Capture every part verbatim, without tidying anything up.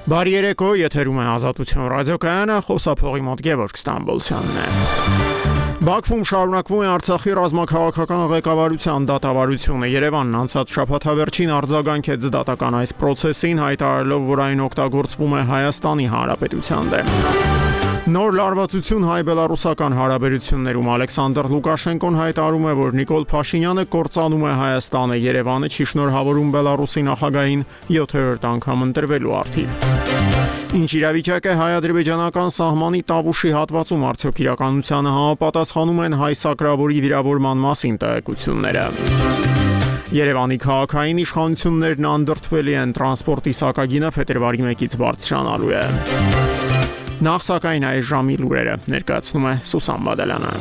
Բարի երեկո, եթերում է Ազատություն ռադիոկայանը, խոսափողի մոտ Գևորգ Ստամբոլցյանն է։ Բաքվում շարունակվում է Արցախի ռազմաքաղաքական ղեկավարության դատավարությունը։ Երևանն անցած շաբաթավերջին արձագանքեց դատական այս պրոցեսին, հայտարարելով, որ այն օգտագործվում է Հայաստանի Հանրապետության դեմ։ Նոր լարվածություն հայ-բելարուսական հարաբերություններում Ալեքսանդր Լուկաշենկոն հայտարարում է, որ Նիկոլ Փաշինյանը կործանում է Հայաստանը, Երևանը չի շնորհավորում Բելարուսի նախագահին յոթերորդ անգամ ընտրվելու առթիվ։ Ինչ իրավիճակ է հայ-ադրբեջանական սահմանի Տավուշի հատվածում, արդյոք իրականությանը համապատասխանում են հայ սակրավորի վիրավորման մասին տեղեկությունները։ Երևանի քաղաքային իշխանություններն անդրդվելի են, տրանսպորտի սակագինը փետրվարի մեկից բարձրանալու է։ Նախ սակայն այս ժամի լուրերը ներկայացնում է Սուսան Բադալյանը։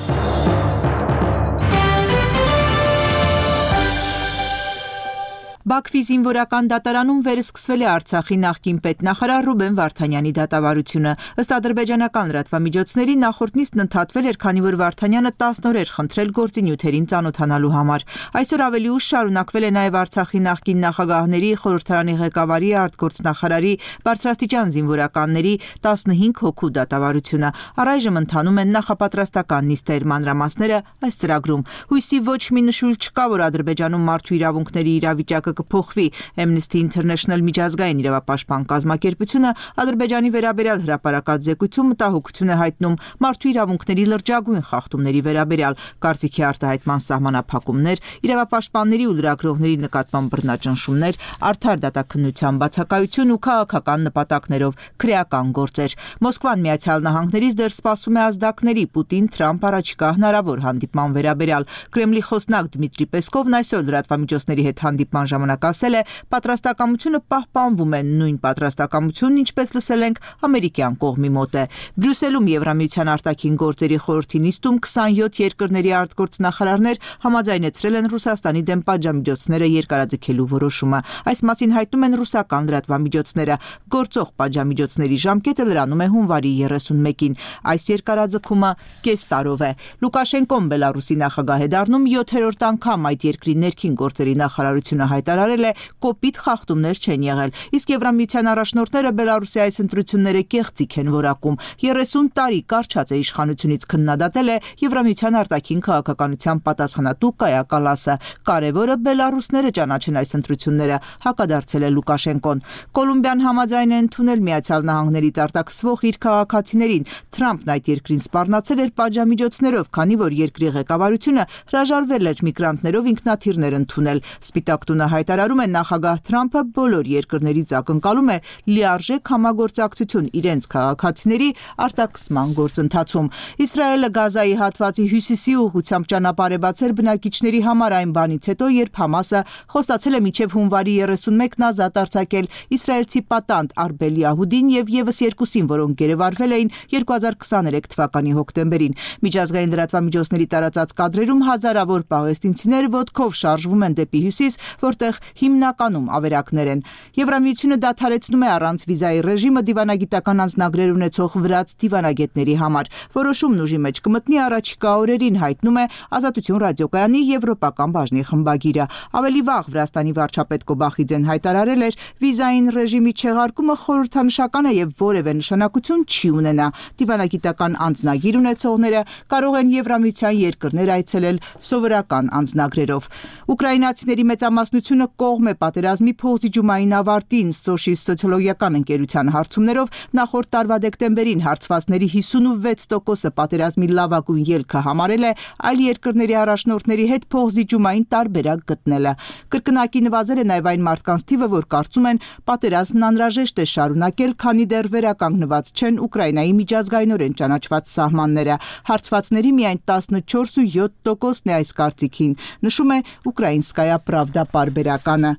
Բաքվի զինվորական դատարանում վերսկսվել է Արցախի նախկին պետնախարար Ռուբեն Վարդանյանի դատավարությունը։ Ըստ ադրբեջանական լրատվամիջոցների նախորդ նիստն ընդհատվել էր, քանի որ Վարդանյանը տասն օր էր խնդրել գործինյութերին ծանոթանալու համար։ Այսօր ավելի ուշ շարունակվել է նաև Արցախի նախկին նախագահների, խորհրդարանի ղեկավարի, արտգործնախարարի, բարձրաստիճան զինվորականների տասնհինգ հոգու դատավարությունը։ Առայժմ ընթանում են նախապատրաստական նիստեր, մանրամասները այս ծրագրում։ Հույսի ոչ մի նշույլ չկա, որ Ադրբեջանում մարդու իրավունքների իրավիճակը կփոխվի։ Amnesty International միջազգային իրավապաշտպան կազմակերպությունը Ադրբեջանի վերաբերյալ հրապարակած զեկույցում մտահոգություն է հայտնում մարդու իրավունքների լրջագույն խախտումների վերաբերյալ, կարծիքի արտահայտման սահմանափակումներ, իրավապաշտպանների ու լրագրողների նկատմամբ բռնաճնշումներ, արդար դատաքննության բացակայություն ու քաղաքական նպատակներով քրեական գործեր։ Մոսկվան Միացյալ Նահանգներից դեռ սպասում է ազդակների Պուտին-Թրամփ առաջիկա հնարավոր հանդիպման վերաբերյալ։ Կրեմլի խոսնակ Դմիտրի Պեսկովն այսօր լրատվամիջոցների հետ հանդիպման ժամանակ ասել է, պատրաստակամությունը պահպանվում է, նույն պատրաստակամությունն, ինչպես լսել ենք, ամերիկյան կողմի մոտ է։ Բրյուսելում Եվրամիության արտաքին գործերի խորհրդի նիստում քսանյոթ երկրների արտգործնախարարներ համաձայնեցրել են Ռուսաստանի դեմ պատժամիջոցները երկարաձգելու որոշումը։ Այս մասին հայտնում են ռուսական լրատվամիջոցները։ Գործող պատժամիջոցների ժամկետը լրանում է հունվարի երեսունմեկին։ Այս երկարաձգումը կես տարով է։ Լուկաշենկոն Բելարուսի նախագահ է դառնում յոթերորդ անգամ այդ երկրի ներքին գործերի նախարարությունը հայտարարել է, կոպիտ խախտումներ չեն եղել, իսկ Եվրամիության առաջնորդները Բելարուսի այս ընտրությունները կեղծիք են որակում։ երեսուն տարի կարճած է իշխանությունից քննադատել է Եվրամիության արտաքին քաղաքականության պատասխանատու Կայա Կալասը։ Կարևորը բելարուսները ճանաչեն այս ընտրությունները, հակադարձել է Լուկաշենկոն։ Կոլումբիան համաձայն է ընդունել Միացյալ Նահանգներից արտաքսվող իր քաղաքացիներին։ Թրամփն այդ երկրին սպառնացել էր պատժամիջոցներով, քանի որ երկրի ղեկավարությունը հրաժարվել էր միգրանտներով ինքնաթիռներ ընդունել։ Սպիտակ տունը հայտարարում է, նախագահ Թրամփը բոլոր երկրներից ակնկալում է լիարժեք համագործակցություն իրենց քաղաքացիների արտաքսման գործընթացում։ Իսրայելը Գազայի հատվածի հյուսիսի ուղղությամբ ճանապարհ է բացել բնակիչների համար այն բանից հետո, երբ Համասը խոստացել է մինչև հունվարի երեսունմեկն ազատ արձակել իսրայելցի պատանդ Արբել Յահուդին եւ եւս երկուսին, որոնք գերեվարվել էին երկու հազար քսաներեք թվականի հոկտեմբերին։ Միջազգային լրատվամիջոցների տարածած կադրերում հազարավոր պաղեստինցիներ ոտքով շարժվում են դեպի հյուսիս, որտեղ հիմնականում ավերակներ են։ Եվրամիությունը դադարեցնում է առանց վիզայի ռեժիմը դիվանագիտական անձնագրեր ունեցող վրաց դիվանագետների համար։ Որոշումն ուժի մեջ կմտնի առաջիկա օրերին, հայտնում է Ազատություն ռադիոկայանի եվրոպական բաժնի խմբագիրը։ Ավելի վաղ Վրաստանի վարչապետ Կոբախիձեն հայտարարել էր, վիզային ռեժիմի չեղարկումը խորհրդանշական է եւ որևէ նշանակություն չի ունենա։ Դիվանագիտական անձնագիր ունեցողները կարող են Եվրամիության երկրներ այցելել սովորական անձնագրերով։ Ուկրաինացիների մեծամասնությունը կողմ է պատերազմի փոխզիջումային ավարտին, Սոշի սոցիոլոգիական ընկերության հարցումներով նախորդ տարվա դեկտեմբերին հարցվածների հիսունվեց տոկոսը պատերազմի լավագույն ելքը համարել է այլ երկրների առաջնորդների հետ փոխզիջումային տարբերակ գտնելը։ Կրկնակի նվազել է նաև այն մարդկանց թիվը, որ կարծում են պատերազմն անհրաժեշտ է շարունակել, քանի դեռ վերականգնված չեն Ուկրաինայի միջազգայինորեն ճանաչված սահմանները։ Հարցվածների միայն տասնչորս ու յոթ տոկոսն է այս կարծիքին, նշում է Ուկրաինսկայա Պրավդա պարբերականը։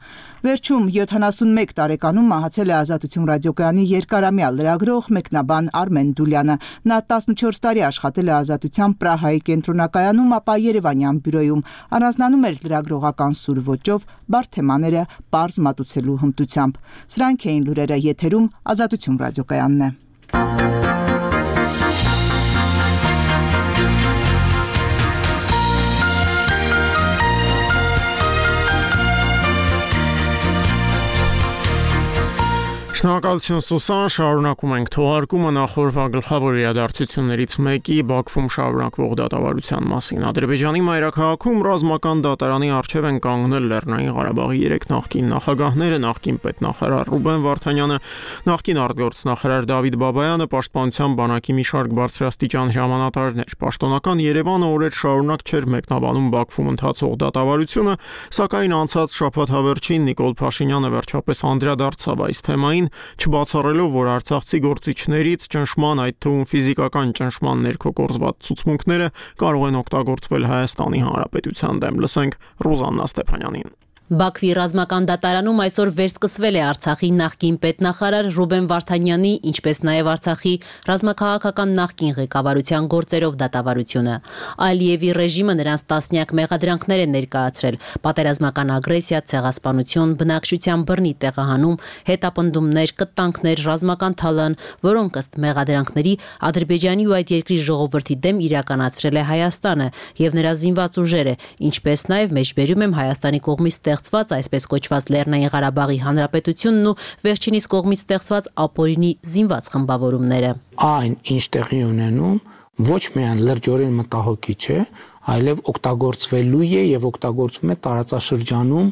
Վերջում յոթանասունմեկ տարեկանում մահացել է Ազատություն ռադիոկայանի երկարամյա լրագրող, մեկնաբան Արմեն Դուլյանը։ Նա տասնչորս տարի աշխատել է Ազատության Պրահայի կենտրոնակայանում, ապա Երևանյան բյուրոյում։ Առանձնանում էր լրագրողական սուր ոճով, բարդ թեմաները պարզ մատուցելու հմտությամբ։ Սրանք էին լուրերը, եթերում Ազատություն ռադիոկայանն է։ Շնորհակալություն Սուսան, շարունակում ենք թողարկումը նախորդ գլխավոր իրադարձություններից մեկի Բաքվում շարունակվող դատավարության մասին։ Ադրբեջանի մայրաքաղաքում ռազմական դատարանի առջև են կանգնել Լեռնային Ղարաբաղի երեք նախկին նախագահները, նախկին պետնախարար Ռուբեն Վարդանյանը, նախկին արտգործնախարար Դավիթ Բաբայանը, պաշտպանության բանակի մի շարք բարձրաստիճան հրամանատարներ։ Պաշտոնական Երևանը օրեր շարունակ չէր մեկնաբանում Բաքվում ընթացող դատավարությունը, սակայն անցած շաբաթ հավերժին Նիկոլ Փաշինյանը վերջապես անդրադարձավ այս թեմային, չբացառելով, որ արցախցի գործիչներից ճնշման, այդ թվում ֆիզիկական ճնշման ներքո կորզված ցուցմունքները կարող են օգտագործվել Հայաստանի Հանրապետության դեմ։ Լսենք Ռուզաննա Ստեփանյանին։ Բաքվի ռազմական դատարանում այսօր վերսկսվել է Արցախի նախկին պետնախարար Ռուբեն Վարդանյանի, ինչպես նաև Արցախի ռազմաքաղաքական նախկին ղեկավարության գործերով դատավարությունը։ Ալիևի ռեժիմը նրանց տասնյակ մեղադրանքներ է ներկայացրել՝ պատերազմական ագրեսիա, ցեղասպանություն, բնակչության բռնի տեղահանում, հետապնդումներ, կտանքներ, ռազմական թալան, որոնք ըստ մեղադրանքների Ադրբեջանի ու այդ երկրի ժողովրդի դեմ իրականացրել է Հայաստանը եւ նրա զինված ուժերը, ինչպես նաև մեջբերում եմ Հայաստանի կողմից ստեղծված այսպես կոչված Լեռնային Ղարաբաղի Հանրապետությունն ու վերջինիս կողմից ստեղծված ապօրինի զինված խմբավորումները։ Այն ինչ տեղի ունենում ոչ միայն լրջորեն մտահոգիչ է, այլև օգտագործվելու է եւ օգտագործվում է տարածաշրջանում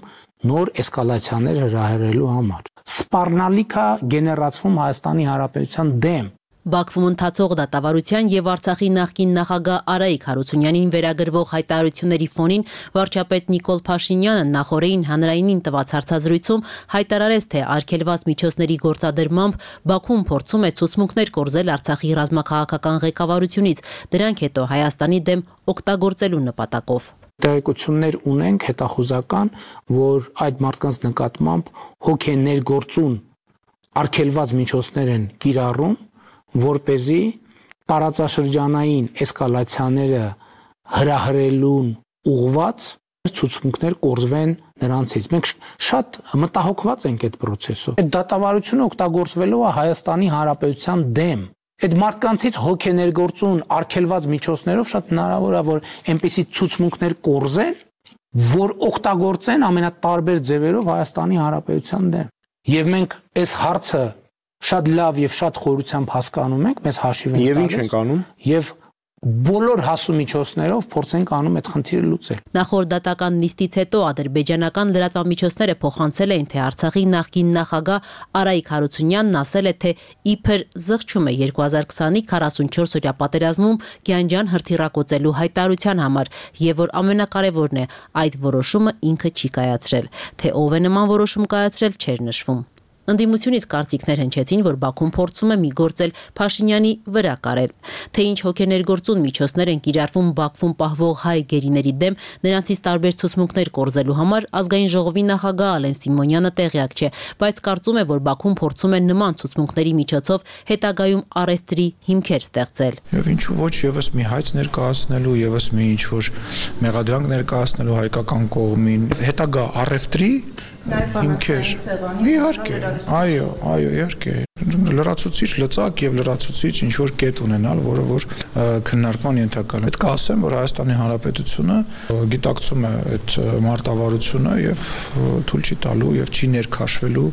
նոր էսկալացիաներ հրահրելու համար։ Սպառնալիք է գեներացվում Հայաստանի Հանրապետության դեմ։ Բաքվում ընթացող դատավարության եւ Արցախի նախկին նախագահ Արայիկ Հարությունյանին վերագրվող հայտարարությունների ֆոնին վարչապետ Նիկոլ Փաշինյանը նախորդին հանրայինին տված հարցազրույցում հայտարարեց, թե արգելված միջոցների գործադրմամբ Բաքուն փորձում է ցուցմունքներ կորզել Արցախի ռազմաքաղաքական ղեկավարությունից, դրանք հետո Հայաստանի դեմ օգտագործելու նպատակով։ Տեղեկություններ ունենք հետախուզական, որ այդ մարդկանց նկատմամբ հոգեներգործուն արգելված միջոցներ են կիրառում, որպեսզի տարածաշրջանային էսկալացիաները հրահրելուն ուղղված ցուցմունքներ կորզվեն նրանցից։ Մենք շատ մտահոգված ենք այդ process-ով։ Այդ դատավարությունը օգտագործվելու է Հայաստանի Հանրապետության դեմ։ Այդ մարդկանցից հոգեներգործուն արգելված միջոցներով շատ հնարավոր է, որ այնպիսի ցուցմունքներ կորզեն, որ օգտագործեն ամենատարբեր ձևերով Հայաստանի Հանրապետության դեմ։ Եվ մենք այս հարցը շատ լավ եւ շատ խորությամբ հասկանում ենք, մեզ հաշիվ ենք տալիս։ Եվ ինչ ենք անում։ Եվ բոլոր հասումիջոցներով փորձենք անում այդ խնդիրը լուծել։ Նախորդ դատական նիստից հետո ադրբեջանական լրատվամիջոցները փոխանցել էին, թե Արցախի նախկին նախագահ Արայիկ Հարությունյանն ասել է, թե իբր զղջում է երկու հազար քսանի քառասունչորս օրյա պատերազմում Գյանջան հրթիռակոծելու հայտարարության համար, եւ որ ամենակարևորն է, այդ որոշումը ինքը չի կայացրել, թե ով է նման որոշում կայացրել չէր նշվում։ Ընդդիմությունից կարծիքներ հնչեցին, որ Բաքուն փորձում է մի գործել Փաշինյանի վրա կարել, թե ինչ հոգեներգործուն միջոցներ են կիրառվում Բաքվում պահվող հայ գերիների դեմ, նրանցից տարբեր ցուցմունքներ կորզելու համար ազգային ժողովի նախագահ Ալեն Սիմոնյանը տեղյակ չէ, բայց կարծում է, որ Բաքուն փորձում է նման ցուցմունքների միջոցով հետագայում առևտրի հիմքեր ստեղծել։ Եվ ինչու ոչ եւս մի հայց ներկայացնելու, եւս մի ինչ որ մեղադրանք ներկայացնելու հայկական կողմին, հետագա առևտրի հիմքեր։ Իհարկե, այո, այո, իհարկե։ Լրացուցիչ լծակ եւ լրացուցիչ ինչ որ կետ ունենալ, որը որ քննարկման ենթակա է։ Պետք է ասեմ, որ Հայաստանի Հանրապետությունը գիտակցում է այդ մարտավարությունը եւ թույլ չի տալու եւ չի ներքաշվելու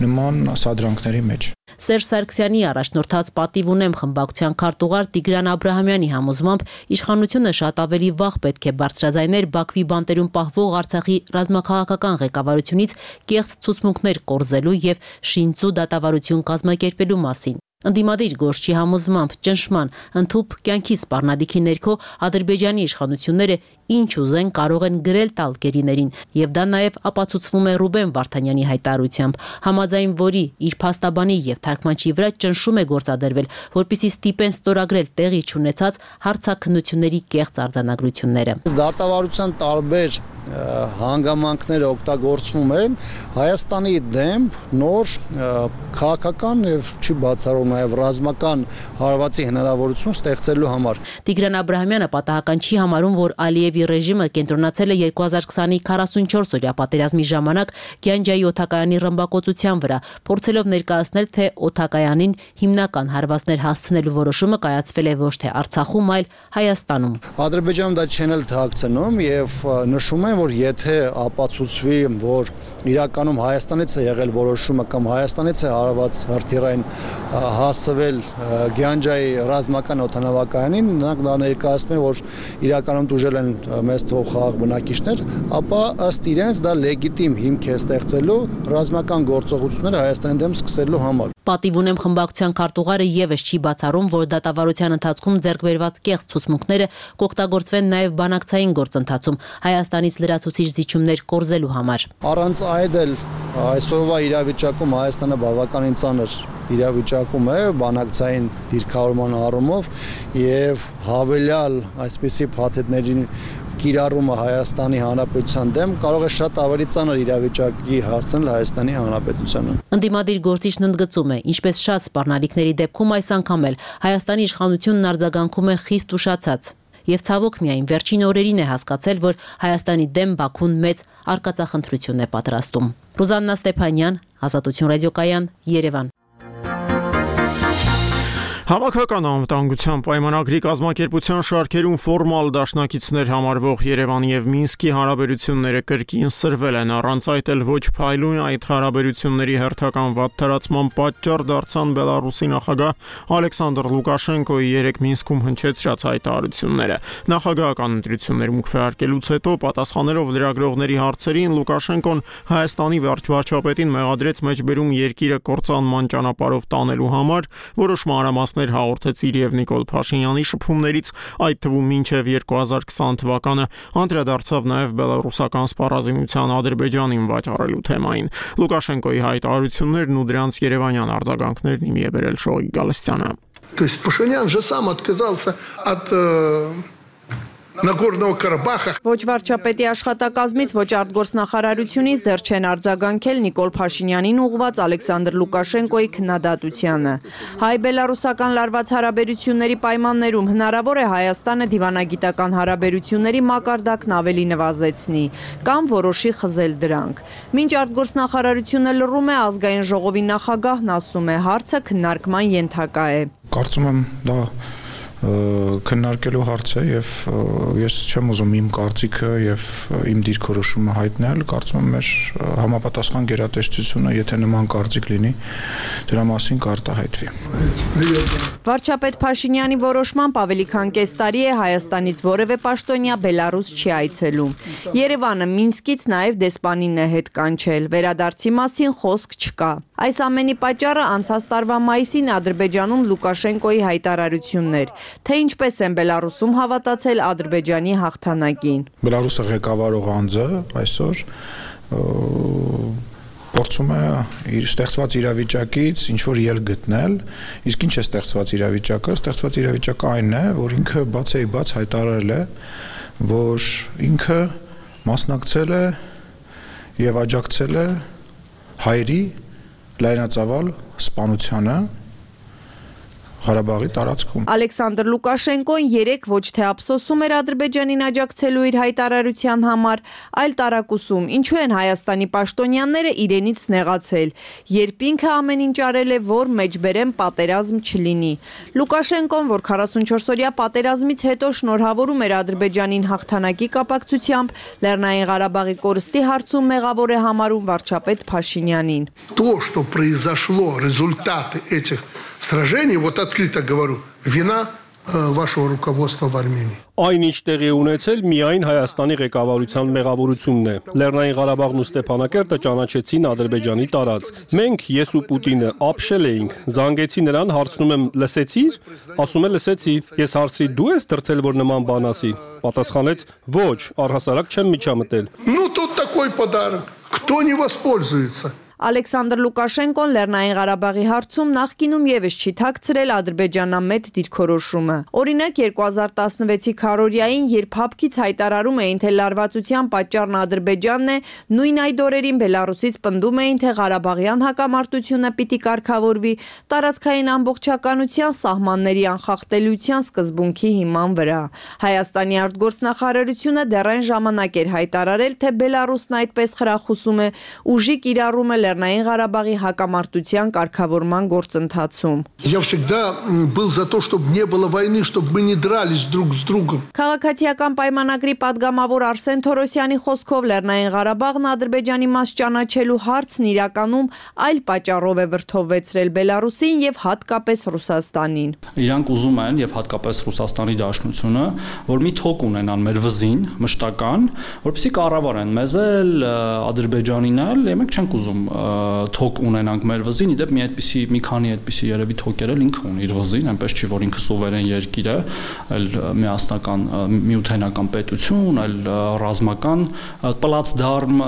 նման սադրանքների մեջ։ Սերժ Սարգսյանի առաջնորդած պատիվ ունեմ խմբակցության քարտուղար Տիգրան Աբրահամյանի համոզմամբ իշխանությունը շատ ավելի վաղ պետք է բարձրաձայներ Բաքվի բանտերում պահվող Արցախի ռազմաքաղաքական ղեկավարությունից կեղծ ցուցմունքներ կորզելու եւ շինծու դատավարություն կազմակերպելու մասին։ Ընդդիմադիր գործչի համոզմամբ ճնշման ընդհուպ կյանքի սպառնալիքի ներքո Ադրբեջանի իշխանությունները ինչ ուզեն կարող են գրել տալ գերիներին, եւ դա նաեւ ապացուցվում է Ռուբեն Վարդանյանի հայտարարությամբ, համաձայն որի իր փաստաբանի եւ թարգմանչի վրա ճնշում է գործադրվել, որպեսզի ստիպեն ստորագրել տեղի չունեցած հարցաքննությունների կեղծ արձանագրությունները։ Դատավարության տարբեր հանգամանքները օգտագործվում են Հայաստանի դեմ նոր քաղաքական եւ չի բացառում նաեւ ռազմական հարվածի հնարավորություն ստեղծելու համար։ Տիգրան Աբրահամյանը պատահական չի համարում, որ Ալիևի ռեժիմը կենտրոնացել է երկու հազար քսանի քառասունչորս օրյա պատերազմի ժամանակ Գյանջայի օդակայանի ռմբակոծության վրա, փորձելով ներկայացնել, թե օդակայանին հիմնական հարվածներ հասցնելու որոշումը կայացվել է ոչ թե Արցախում, այլ Հայաստանում։ Ադրբեջանում դա չեն էլ թաքցնում եւ նշում են, եմ, որ եթե ապացուցվի, որ իրականում Հայաստանից է եղել որոշումը կամ Հայաստանից է հարված հրթիռային հասցվել Գյանջայի ռազմական օդանավակայանին, նրանք դա ներկայացնում են, որ իրականում տուժել են մեծ թվով խաղաղ բնակիչներ, ապա ըստ իրենց դա լեգիտիմ հիմք է ստեղծելու ռազմական գործողությունները Հայաստանի դեմ սկսելու համար։ Պատիվ ունեմ խմբակցության քարտուղարը եւս չի բացառում, որ դատավարության ընթացքում ձեռք բերված կեղծ ցուցմունքները կօգտագործվեն նաեւ բանակցային գործընթացում Հայաստանից լրացուցիչ զիջումներ կորզելու համար։ Առանց այդ էլ այսօրվա իրավիճակում Հայաստանը բավականին ծանր իրավիճակում է բանակցային դիրքավորման առումով եւ հավելյալ այսպիսի փաթեթների կիրառումը Հայաստանի Հանրապետության դեմ կարող է շատ ավելի ծանր իրավիճակի հասցնել Հայաստանի Հանրապետությանը։ Ընդդիմադիր գործիչն ընդգծում է, ինչպես շատ սպառնալիքների դեպքում այս անգամ էլ Հայաստանի իշխանությունն արձագանքում է խիստ ուշացած։ Եվ ցավոք միայն վերջին օրերին է հասկացել, որ Հայաստանի դեմ Բաքուն մեծ արկածախնդրություն է պատրաստում։ Ռուզաննա Ստեփանյան, Ազատություն ռադիոկայան, Երևան։ Հավաքական անվտանգության պայմանագրի կազմակերպության շարքերում ֆորմալ դաշնակիցներ համարվող Երևանի եւ Մինսկի հարաբերությունները կրկին սրվել են, առանց այդ էլ ոչ փայլուն այդ հարաբերությունների հերթական վատթարացման պատճառ դարձան Բելարուսի նախագահ Ալեքսանդր Լուկաշենկոյի երեք Մինսկում հնչեցրած հայտարարությունները։ Նախագահական ընտրություններում քվեարկելուց հետո պատասխանելով լրագրողների հարցերին Լուկաշենկոն Հայաստանի վարչապետին մեղադրեց մեջբերում երկիրը կործանման ճանապարհով տանելու համար, որոշ մանրամասներ հաղորդեց իր եւ Նիկոլ Փաշինյանի շփումներից, այդ թվում մինչեւ երկու հազար քսան թվականը անդրադարձավ նաեւ բելարուսական սպառազինության Ադրբեջանին վաճառելու թեմային։ Լուկաշենկոյի հայտարարություններն ու դրանց երևանյան արձագանքներն իմի է բերել Շողիկ Գալստյանը։ То есть Пашинян же сам отказался от Նագորնո Ղարաբաղը Ոչ վարչապետի աշխատակազմից, ոչ արտգործնախարարությունից դեռ չեն արձագանքել Նիկոլ Փաշինյանին ուղղված Ալեքսանդր Լուկաշենկոյի քննադատությանը։ Հայ-բելարուսական լարված հարաբերությունների պայմաններում հնարավոր է Հայաստանը դիվանագիտական հարաբերությունների մակարդակն ավելի նվազեցնի կամ որոշի խզել դրանք։ Մինչ արտգործնախարարությունը լռում է, ազգային ժողովի նախագահն ասում է, հարցը քննարկման ենթակա է։ Կարծում եմ դա քննարկելու հարց է եւ ես չեմ ուզում իմ կարծիքը եւ իմ դիրքորոշումը հայտնել, կարծում եմ մեր համապատասխան գերատեսչությունը, եթե նման կարծիք լինի, դրա մասին կարտահայտվի։ Վարչապետ Փաշինյանի որոշմամբ ավելի քան կես տարի է Հայաստանից որևէ պաշտոնյա Բելարուս չի այցելում։ Երևանը Մինսկից նաեւ դեսպանին է հետ կանչել, վերադարձի մասին խոսք չկա։ Այս ամենի պատճառը անցած տարվա մայիսին Ադրբեջանում Լուկաշենկոյի հայտարարություններ, թե ինչպես են Բելարուսում հավատացել Ադրբեջանի հաղթանակին։ Բելարուսը ղեկավարող անձը այսօր փորձում է իր ստեղծված իրավիճակից ինչ-որ ելք գտնել, իսկ ինչ է ստեղծված իրավիճակը, ստեղծված իրավիճակը այն է, որ ինքը բացեի բաց հայտարարել է, որ ինքը մասնակցել է եւ աջակցել է հայերի լայնածավալ սպանությանը Ղարաբաղի տարածքում։ Ալեքսանդր Լուկաշենկոն երեք ոչ թե ափսոսում էր Ադրբեջանին աջակցելու իր հայտարարության համար, այլ տարակուսում, ինչու են Հայաստանի պաշտոնյաները իրենից նեղացել, երբ ինքը ամեն ինչ արել է, որ մեջբերեմ պատերազմ չլինի։ Լուկաշենկոն, որ քառասունչորս-օրյա պատերազմից հետո շնորհավորում էր Ադրբեջանին հաղթանակի կապակցությամբ, Լեռնային Ղարաբաղի կորստի հարցում մեղավոր է համարում վարչապետ Փաշինյանին։ То, что произошло, результаты этих сражений, вот открыто говорю, вина вашего руководства в Армении. Այն ինչ տեղի ունեցել միայն Հայաստանի ղեկավարության մեղավորությունն է։ Լեռնային Ղարաբաղն ու Ստեփանակերտը ճանաչեցին Ադրբեջանի տարածք։ Մենք ես ու Պուտինը ապշել էինք, զանգեցի նրան, հարցնում եմ՝ լսեցի՞ր։ Ասում է՝ լսեցի։ Ես հարցրի՝ դու ես դրթել, որ նման բան ասի։ Պատասխանեց՝ ոչ, առհասարակ չեմ միջամտել։ Ну тут такой подарок. Кто не воспользуется? Ալեքսանդր Լուկաշենկոն Լեռնային Ղարաբաղի հարցում նախկինում եւս չի թաքցրել ադրբեջանամետ դիրքորոշումը։ Օրինակ երկու հազար տասնվեցի քառօրյային, երբ հապկից հայտարարում էին, թե լարվածության պատճառն Ադրբեջանն է, նույն այդ օրերին Բելարուսից պնդում էին, թե Ղարաբաղյան հակամարտությունը պիտի կարգավորվի տարածքային ամբողջականության սահմանների անխախտելիության սկզբունքի հիման վրա։ Հայաստանի արտգործնախարարությունը դեռ այն ժամանակ էր հայտարարել, թե Բելարուսն այդպես խրախուսում է ուժի կիրառումը Լեռնային Ղարաբաղի հակամարտության կարգավորման գործընթացում։ Я всегда был за то, чтобы не было войны, чтобы мы не дрались друг с другом. Քաղաքացիական պայմանագրի падգամավոր Արսեն Թորոսյանի խոսքով Լեռնային Ղարաբաղն Ադրբեջանի մաս ճանաչելու հարցն իրականում այլ պատճառով է վրդովվեցրել Բելարուսին եւ հատկապես Ռուսաստանին։ Իրանք ուզում են եւ հատկապես Ռուսաստանի Դաշնությունը, որ մի թոք ունենան մեր վզին, մշտական, որպեսզի կառավարեն մեզ էլ Ադրբեջանին էլ, մենք չենք ուզում թոք ունենանք մեր վզին, իդեպ մի այդպիսի մի քանի այդպիսի երևի թոքեր էլ ինքը ունի իր վզին, այնպես չի որ ինքը սուվերեն երկիր է, այլ միասնական միութենական պետություն, այլ ռազմական պլացդարմ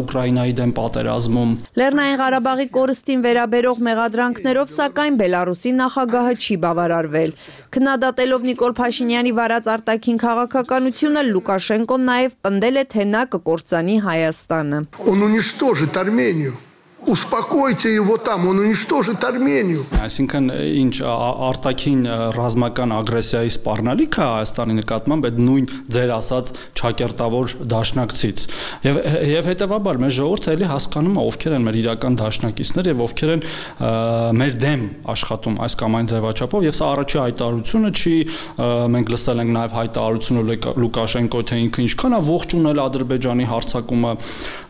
Ուկրաինայի դեմ պատերազմում։ Լեռնային Ղարաբաղի կորստին վերաբերող մեղադրանքներով սակայն Բելարուսի նախագահը չի բավարարվել։ Քննադատելով Նիկոլ Փաշինյանի վարած արտաքին քաղաքականությունը Լուկաշենկոն նաև պնդել է, թե նա կկործանի Հայաստանը։ Он уничтожит Армению. Успокойте его там, он уничтожит Армению. Այսինքն ինչ արտաքին ռազմական ագրեսիայի սպառնալիքը Հայաստանի նկատմամբ այդ նույն ձեր ասած ճակերտավոր դաշնակցից։ Եվ եւ հետեւաբար մեր ժողովուրդը էլի հասկանում է ովքեր են մեր իրական դաշնակիցներ եւ ովքեր են մեր դեմ աշխատում այս կամ այն ձևաչափով եւ սա առաջի հայտարարությունը չի, մենք լսել ենք նաեւ հայտարարությունը Լուկաշենկոյի թե ինքը ինչքան է ողջունել Ադրբեջանի հարձակումը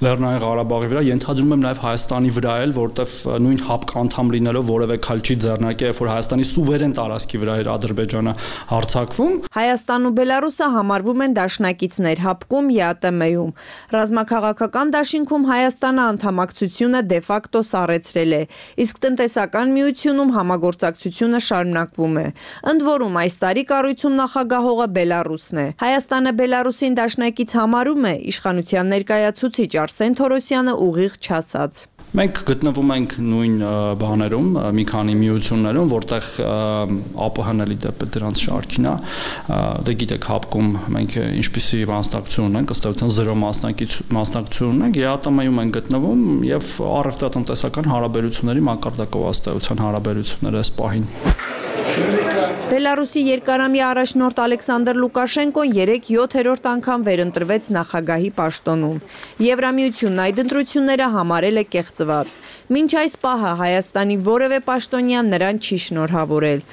Լեռնային Ղարաբաղի վրա, ենթադրում եմ նաեւ Հայաստանի վրա էլ, որտեվ նույն հապկ անդամ լինելով որևէ քայլ չի ձեռնարկել, երբ որ Հայաստանի սուվերեն տարածքի վրա էր Ադրբեջանը հարձակվում։ Հայաստանն ու Բելարուսը համարվում են դաշնակիցներ հապկում ԵԱՏՄ-ում։ Ռազմաքաղաքական դաշինքում Հայաստանը անդամակցությունը դե ֆակտո սառեցրել է, իսկ տնտեսական միությունում համագործակցությունը շարունակվում է։ Ընդ որում այս տարի կառույցում նախագահողը Բելարուսն է։ Հայաստանը Բելարուսին դաշնակից համարում է իշխանության ներկայացուցիչ Արսեն Թորոսյանը ուղիղ չասած։ Մենք գտնվում ենք նույն բաներում, մի քանի միություններում, որտեղ ԱՊՀ-ն էլի դեպի դրանց շարքին է, դե գիտեք հապկում մենք ինչպիսի մասնակցություն ունենք, ըստ էության զրո մասնակցություն ունենք, ԵԱՏՄ-ում ենք գտնվում եւ առևտրատնտեսական հարաբերությունների մակարդակով ըստ էության հարաբերությունները այս պահին։ Բելարուսի երկարամյա առաջնորդ Ալեքսանդր Լուկաշենկոն երեկ յոթերորդ անգամ վերընտրվեց նախագահի պաշտոնում։ Եվրամիությունն այդ ընտրությունները համարել է կեղծված։ Մինչ այս պահը Հայաստանի որևէ պաշտոնյան նրան չի շնորհավորել։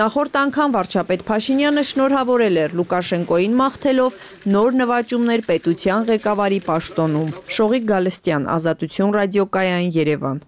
Նախորդ անգամ վարչապետ Փաշինյանը շնորհավորել էր Լուկաշենկոին մաղթելով նոր նվաճումներ պետության ղեկավարի պաշտոնում։ Շողիկ Գալստյան, Ազատություն ռադիոկայան, Երևան։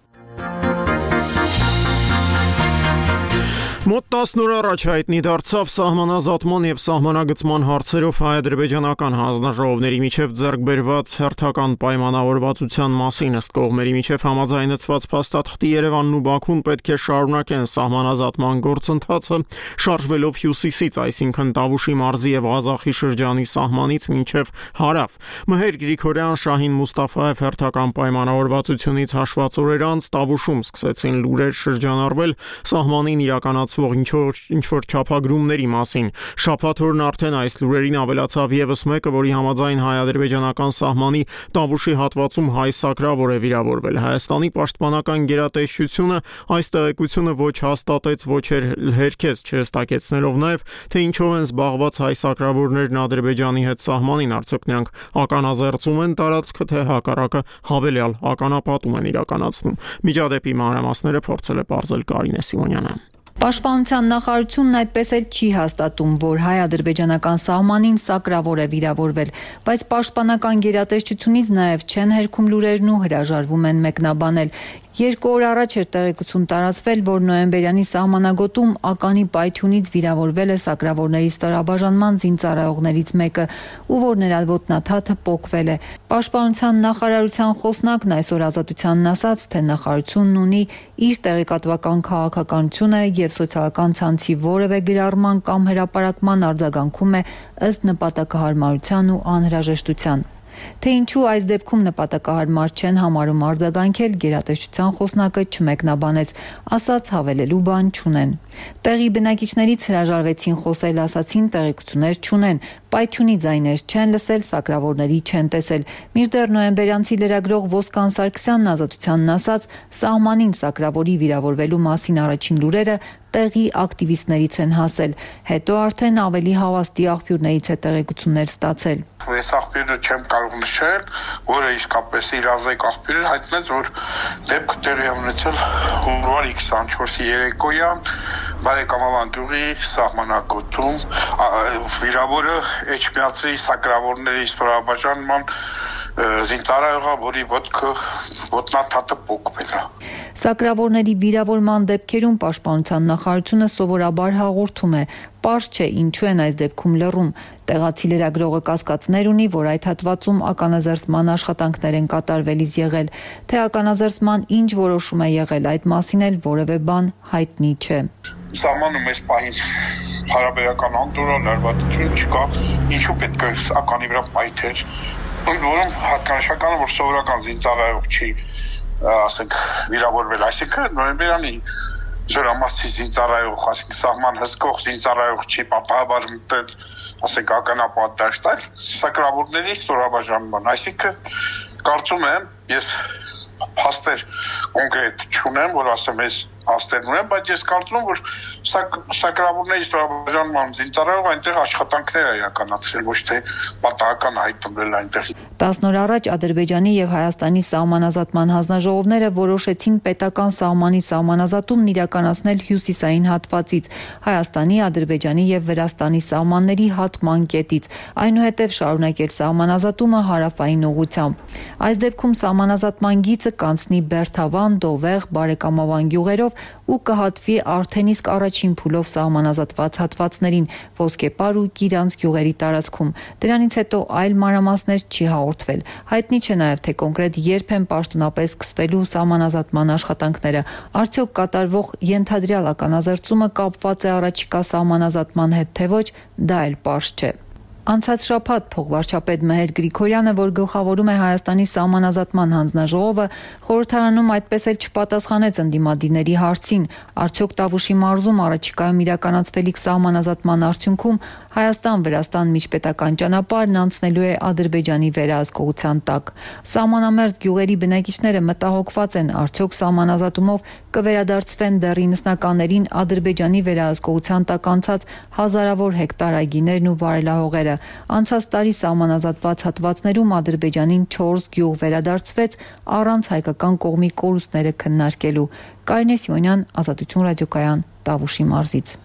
Մոտ տասն օր առաջ հայտնի դարձավ սահմանազատման եւ սահմանագծման հարցերով հայ-ադրբեջանական հանձնաժողովների միջև ձեռք բերված հերթական պայմանավորվածության մասին ըստ կողմերի միջև համաձայնեցված փաստաթղթի Երևանն ու Բաքուն պետք է շարունակեն սահմանազատման գործընթացը շարժվելով հյուսիսից, այսինքն Տավուշի մարզի եւ Ղազախի շրջանի սահմանից մինչև հարավ։ Մհեր Գրիգորյան, Շահին Մուստաֆաև հերթական պայմանավորվածությունից հաշված օրեր անց Տավուշում սկսեցին լուրեր շրջանառվել սահմանին իրականացված ինչ-որ չափագրումների մասին։ Շաբաթ օրն արդեն այս լուրերին ավելացավ եւս մեկը, որի համաձայն հայ-ադրբեջանական սահմանի Տավուշի հատվածում հայ սակրավոր է վիրավորվել։ Հայաստանի պաշտպանական գերատեսչությունը այս տեղեկությունը ոչ հաստատեց, ոչ էլ հերքեց, չհստակեցնելով նաեւ, թե ինչով են զբաղված հայ սակրավորներն Ադրբեջանի հետ սահմանին, արդյոք նրանք ականազերծում են տարածքը, թե հակառակը հավելյալ ականապատում են իրականացնում։ Միջադեպի մանրամասները փորձել է պարզել Կարինե Սիմոնյանը։ Պաշտպանության նախարարությունն այդպես էլ չի հաստատում, որ հայ-ադրբեջանական սահմանին սակրավոր է վիրավորվել, բայց պաշտպանական գերատեսչությունից նաև չեն հերքում լուրերն ու հրաժարվում են մեկնաբանել։ Երկու օր առաջ էր տեղեկություն տարածվել, որ նոյեմբերյանի սահմանագոտում ականի պայթյունից վիրավորվել է սակրավորների ստորաբաժանման զինծառայողներից մեկը, ու որ նրա ոտնաթաթը պոկվել է։ Պաշտպանության նախարարության խոսնակն այսօր Ազատությանն ասաց, թե նախարարությունն ունի իր տեղեկատվական քաղաքականությունը եւ սոցիալական ցանցի որևէ գրառման կամ հրապարակման արձագանքում է ըստ նպատակահարմարության ու անհրաժեշտության։ Թե ինչու այս դեպքում նպատակահարմար չեն համարում արձագանքել, գերատեսչության խոսնակը չմեկնաբանեց, ասաց հավելելու բան չունեն։ Տեղի բնակիչներից հրաժարվեցին խոսել, ասացին տեղեկություններ չունեն, պայթյունի ձայներ չեն լսել, սակրավորների չեն տեսել։ Մինչդեռ նոյեմբերյանցի լրագրող Ոսկան Սարգսյանն Ազատությանն ասաց, սահմանին սակրավորի վիրավորվելու մասին առաջին լուրերը տեղի ակտիվիստներից են հասել, հետո արդեն ավելի հավաստի աղբյուրներից է տեղեկություններ ստացել։ Ես աղբյուրը չեմ կարող կարող նշել, որը իսկապես իր ազգ աղբյուրը հայտնեց, որ դեպքը տեղի ունեցել հունվարի քսանչորսի երեկոյան բարեկամավանդուղի սահմանակոթում վիրավորը Էջմիածի սակրավորների ստորաբաժանման զինծառայողը, որի ոտքը ոտնաթաթը պոկվել է։ Սակրավորների վիրավորման դեպքերում պաշտպանության նախարարությունը սովորաբար հաղորդում է. պարզ չէ ինչու են այս դեպքում լռում։ Տեղացի լրագրողը կասկածներ ունի, որ այդ հատվածում ականազերծման աշխատանքներ են կատարվելիս եղել, թե ականազերծման ինչ որոշում է եղել, այդ մասին էլ որևէ բան հայտնի չէ։ Սահմանում այս պահին հարաբերական անդորը լարվածություն չկա, ինչու պետք է ականի վրա պայթեր, ընդ որում հատկանշականը, որ սովորական զինծառայող չի, ասենք, վիրավորվել, այսինքն նոյեմբերանի զորամասի զինծառայող, ասենք, սահման հսկող զինծառայող չի պատահաբար մտել, ասենք, ականապատ դաշտել, սակրավորների ստորաբաժանման, այսինքն կարծում եմ, ես փաստեր կոնկրետ չունեմ, որ ասեմ, ես փաստեր ունեմ, բայց ես կարծում եմ, որ սակրավորների ստորաբաժանման զինծառայողը այնտեղ աշխատանքներ է իրականացրել, ոչ թե պատահական հայտնվել այնտեղ։ տասն օր առաջ Ադրբեջանի եւ Հայաստանի սահմանազատման հանձնաժողովները որոշեցին պետական սահմանի սահմանազատումն իրականացնել հյուսիսային հատվածից, Հայաստանի, Ադրբեջանի եւ Վրաստանի սահմանների հատման կետից, այնուհետև շարունակել սահմանազատումը հարավային ուղղությամբ։ Այս դեպքում սահմանազատման գիծը կանցնի Բերթավան, Դովեղ, Բարեկամավան գյուղերով ու կհատվի արդեն իսկ առաջին փուլով սահմանազատված հատվածներին Ոսկեպար ու Կիրանց գյուղերի տարածքում։ Դրանից հետո այլ մանրամասներ չի հաղորդվել։ Հայտնի չէ նաև թե կոնկրետ երբ են պաշտոնապես սկսվելու սահմանազատման աշխատանքները։ Արդյոք կատարվող ենթադրյալ ականազերծումը կապված է առաջիկա սահմանազատման հետ թե ոչ, դա էլ պարզ չէ։ Անցած շաբաթ փոխվարչապետ Մեհեր Գրիգորյանը, որ գլխավորում է Հայաստանի սահմանազատման հանձնաժողովը, խորհրդարանում այդպես էլ չպատասխանեց ընդդիմադիրների հարցին, արդյոք Տավուշի մարզում առաջիկայում իրականացվելիք սահմանազատման արդյունքում Հայաստան-Վրաստան միջպետական ճանապարհն անցնելու է Ադրբեջանի վերահսկողության տակ։ Սահմանամերձ գյուղերի բնակիչները մտահոգված են, արդյոք սահմանազատումով կվերադարձվեն դեռ իննսնականներին Ադրբեջանի վերահսկողության տակ անցած հազարավոր հեկտար այգիներն ու վարելահողերը։ Անցած տարի սահմանազատված հատվածներում Ադրբեջանին չորս գյուղ վերադարձվեց առանց հայկական կողմի կորուստները քննարկելու։ Կարինե Սիմոնյան, Ազատություն ռադիոկայան, Տավուշի մարզից։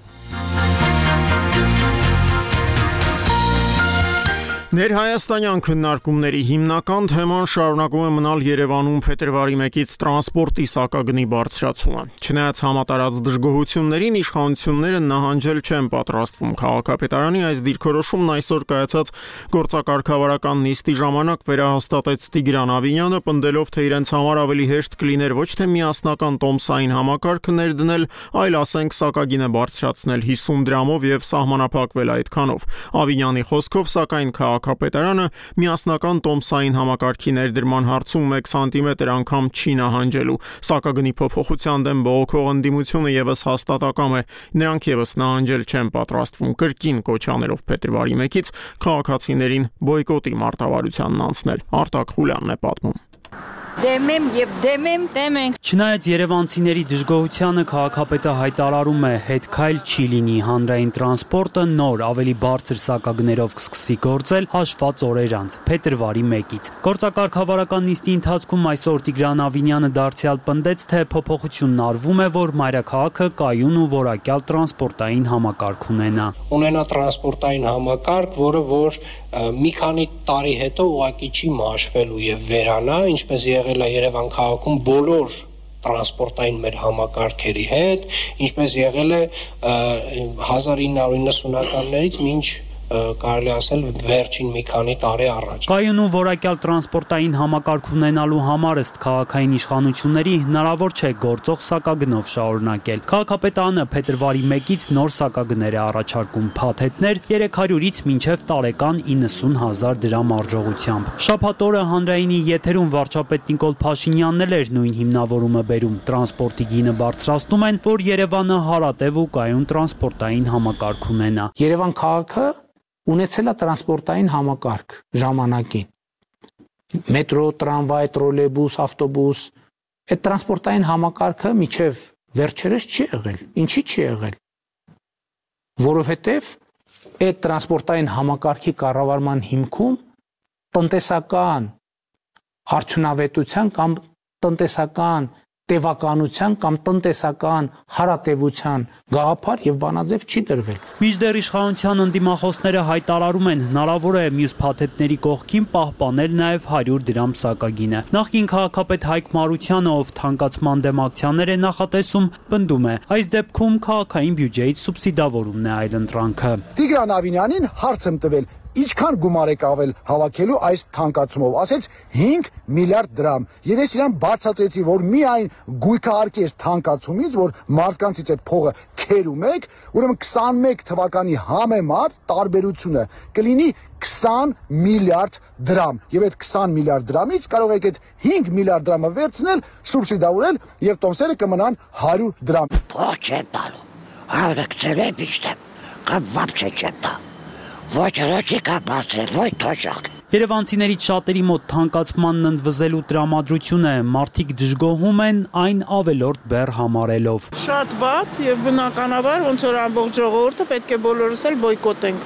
Ներհայաստանյան քննարկումների հիմնական թեման շարունակում է մնալ Երևանում փետրվարի մեկից տրանսպորտի սակագնի բարձրացումը։ Չնայած համատարած դժգոհություններին, իշխանությունները նահանջել չեն պատրաստվում։ Քաղաքապետարանի այս դիրքորոշումն այսօր կայացած գործակարգավարական նիստի ժամանակ վերահաստատեց Տիգրան Ավինյանը, պնդելով, թե իրենց համար ավելի հեշտ կլիներ ոչ թե միասնական տոմսային համակարգ ներդնել, այլ ասենք սակագինը բարձրացնել հիսուն դրամով եւ սահմանափակվել այդքանով։ Ավինյանի խոսքով, սակայն Քաղաքապետարանը միասնական տոմսային համակարգի ներդրման հարցում մեկ սանտիմետր անգամ չի նահանջելու։ Սակագնի փոփոխության դեմ բողոքող ընդդիմությունը եւս հաստատակամ է։ Նրանք եւս նահանջել չեն պատրաստվում, կրկին կոչ անելով փետրվարի մեկից քաղաքացիներին բոյկոտի մարտավարությանն անցնել։ Արտակ Խուլյանն է պատմում։ Դեմ եմ եւ դեմ եմ, դեմ ենք։ Չնայած երևանցիների դժգոհությանը քաղաքապետը հայտարարում է, հետքայլ չի լինի, հանրային տրանսպորտը նոր ավելի բարձր սակագներով կսկսի գործել հաշված օրեր անց, փետրվարի մեկից։ Գործակարգավարական նիստի ընթացքում այսօր Տիգրան Ավինյանը դարձյալ պնդեց, թե փոփոխությունն արվում է, որ մայրաքաղաքը կայուն ու որակյալ տրանսպորտային համակարգ ունենա։ Ունենա տրանսպորտային համակարգ, որը որ մի քանի տարի հետո ուղղակի չի մաշվելու եւ վերանա, ինչպես եղել է Երևան քաղաքում բոլոր տրանսպորտային մեր համակարգերի հետ, ինչպես եղել է հազար ինը հարյուր նվնասունականներից մինչ կարելի ասել վերջին մի քանի տարի առաջ։ Կայուն ու որակյալ տրանսպորտային համակարգ ունենալու համար ըստ քաղաքային իշխանությունների հնարավոր չէ գործող սակագնով շարունակել։ Քաղաքապետարանը փետրվարի մեկից նոր սակագներ է առաջարկում փաթեթներ երեք հարյուրից մինչև տարեկան իննսուն հազար դրամ արժողությամբ։ Շաբաթ օրը հանրայինի եթերում վարչապետ Նիկոլ Փաշինյանն էլ էր նույն հիմնավորումը բերում։ Տրանսպորտի գինը բարձրացնում են, որ Երևանը հարատև ու կայուն տրանսպորտային համակարգ ունենա։ Երևան քաղաքը ունեցել է տրանսպորտային համակարգ ժամանակին։ Մետրո, տրամվայ, տրոլեյբուս, ավտոբուս, այդ տրանսպորտային համակարգը միջև վերջերս չի եղել։ Ինչի՞ չի եղել։ Որովհետև այդ տրանսպորտային համակարգի կառավարման հիմքում տնտեսական արդյունավետության կամ տնտեսական տևականության կամ տնտեսական հարատևության գաղափար եւ բանաձև չի դրվել։ Մինչդեռ իշխանության ընդդիմախոսները հայտարարում են, հնարավոր է մյուս փաթեթների կողքին պահպանել նաեւ հարյուր դրամ սակագինը։ Նախկին քաղաքապետ Հայկ Մարությանը, ով թանկացման դեմ ակցիաներ է նախատեսում, պնդում է, այս դեպքում քաղաքային բյուջեից սուբսիդավորումն է այլընտրանքը։ Տիգրան Ավինյանին հարց եմ տվել, ինչքան գումար եք ավել հավաքելու այս թանկացումով, ասեց հինգ միլիարդ դրամ։ Եվ ես իրան բացատրեցի, որ միայն գույքահարկի այս թանկացումից, որ մարդկանցից այդ փողը քերում եք, ուրեմն քսանմեկ թվականի համեմատ տարբերությունը կլինի քսան միլիարդ դրամ։ Եվ այդ քսան միլիարդ դրամից կարող եք այդ հինգ միլիարդ դրամը վերցնել, սուբսիդավորել եւ տոմսերը կմնան հարյուր դրամ։ Փող չեմ տալու։ Հարցրել եք իստե։ Կամ վապչե չեմ տա։ Ոչ ռոճիկա բացել, ոչ թոշակ։ Երևանցիներից շատերի մոտ թանկացմանն ընդվզելու տրամադրությունը մարդիկ դժգոհում են այն ավելորդ բեռ համարելով։ Շատ վատ եւ բնականաբար ոնց որ ամբողջ ժողովուրդը պետք է բոլորս էլ բոյկոտենք։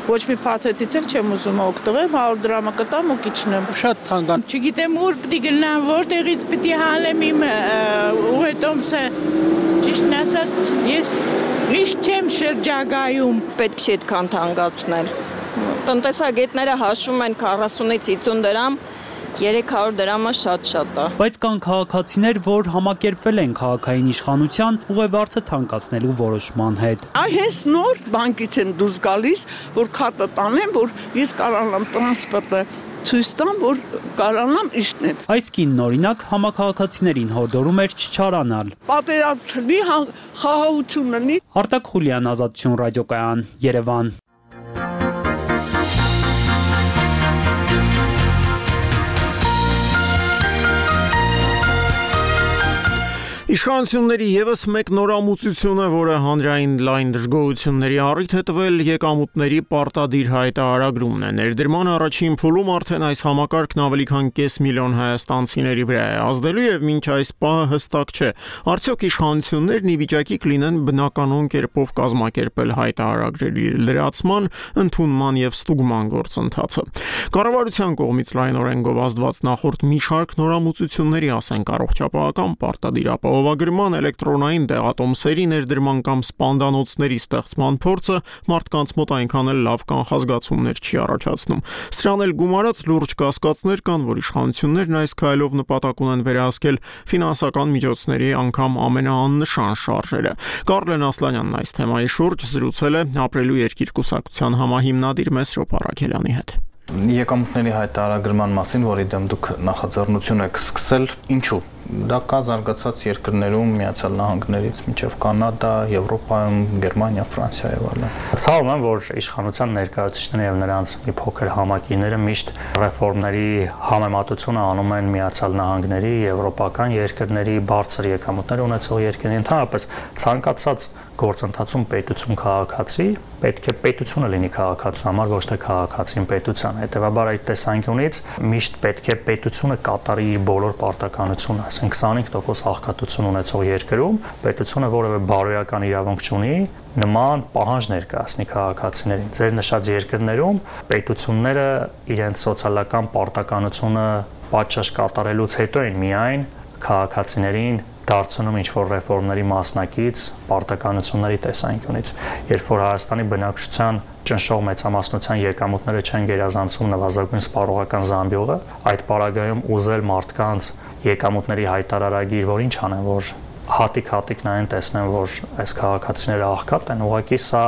Ոչ մի փաթեթից էլ չեմ ուզում օգտվել, հարյուր դրամը կտամ ու կիջնեմ։ Շատ թանկան։ Չգիտեմ ուր պիտի գնամ, որտեղից պիտի հանեմ իմ ուղետոմսը։ Ճիշտն ասած, ես միշտ չեմ շրջագայում։ Պետք չի այդքան թանկացնել։ Տնտեսագետները հաշվում են քառասունից հիսուն դրամ, երեք հարյուր դրամը շատ-շատ է։ Բայց կան քաղաքացիներ, որ համակերպվել են քաղաքային իշխանության ուղևորը թանկացնելու որոշման հետ։ Այ հենց նոր բանկից են դուրս գալիս, որ քարտը տանեմ, որ ես կարողանամ տրանսպորտը ցույց տամ, որ կարողանամ իջնել։ Այս կինն օրինակ համակարգացիներին հորդորում էր չչարանալ։ Պատերազմի խաղաղություն լինի։ Արտակ Խուլյան, Ազատություն ռադիոկայան, Երևան։ Իշխանությունների ևս մեկ նորամուծություն է, որը հանրային լայն դժգոհությունների առիթ է տվել եկամուտների պարտադիր հայտարարագրումն է։ Ներդրման առաջին փուլում արդեն այս համակարգն ավելի քան կես միլիոն հայաստանցիների վրա է ազդելու եւ մինչ այս պահը հստակ չէ, արդյոք իշխանություններն ի վիճակի կլինեն բնականon կերպով կազմակերպել հայտարարագրերի լրացման, ընդունման եւ ստուգման գործընթացը։ Կառավարության կողմից լայնորեն գովազդված նախորդ մի շարք նորամուծությունների, ասենք առողջապահական պարտադիր ապահովագրման, էլեկտրոնային դեղատոմսերի ներդրման կամ սպանդանոցների ստեղծման փորձը մարդկանց մոտ այնքան էլ լավ կանխազգացումներ չի առաջացնում։ Սրան էլ գումարած լուրջ կասկածներ կան, որ իշխանություններն այս քայլով նպատակ ունեն վերահսկել ֆինանսական միջոցների անգամ ամենաաննշան շարժերը։ Կարլեն Ասլանյանն այս թեմայի շուրջ զրուցել է Ապրելու երկիր կուսակցության համահիմնադիր Մեսրոպ Արաքելյանի հետ։ Եկամուտների հայտարարագրման մասին, որի դեմ դուք նախաձեռնություն եք սկսել, ինչու՞։ Դա կա զարգացած երկրներում, Միացյալ Նահանգներից մինչև Կանադա, Եվրոպայում, Գերմանիա, Ֆրանսիա եւ այլն։ Ցավում եմ, որ իշխանության ներկայացուցիչները եւ նրանց մի փոքր համակիները միշտ ռեֆորմների համեմատությունը անում են Միացյալ Նահանգների, եվրոպական երկրների, բարձր եկամուտներ ունեցող երկրների, ընդհանրապես ցանկացած գործընթացում պետություն քաղաքացի, պետք է պետությունը լինի քաղաքացու համար, ոչ թե քաղաքացին պետության։ Հետևաբար այդ տեսանկյունից միշտ պետք է պետությունը կատարի իր բոլոր պարտականությունը, ասենք քսանհինգ տոկոս աղքատություն ունեցող երկրում պետությունը որևէ բարոյական իրավունք չունի նման պահանջ ներկայացնի քաղաքացիներին։ Ձեր նշած երկրներում պետությունները իրենց սոցիալական պարտականությունը պատշաճ կատարելուց հետո են միայն քաղաքացիներին դարձնում ինչ-որ ռեֆորմների մասնակից պարտականությունների տեսանկյունից։ Երբ որ Հայաստանի բնակչության ճնշող մեծամասնության եկամուտները չեն գերազանցում նվազագույն սպառողական զամբյուղը, այդ պարագայում ուզել մարդկանց եկամուտների հայտարարագիր, որ ինչ անեն, որ հատիկ-հատիկ նայեն տեսնեն, որ այս քաղաքացիները աղքատ են, ուղղակի սա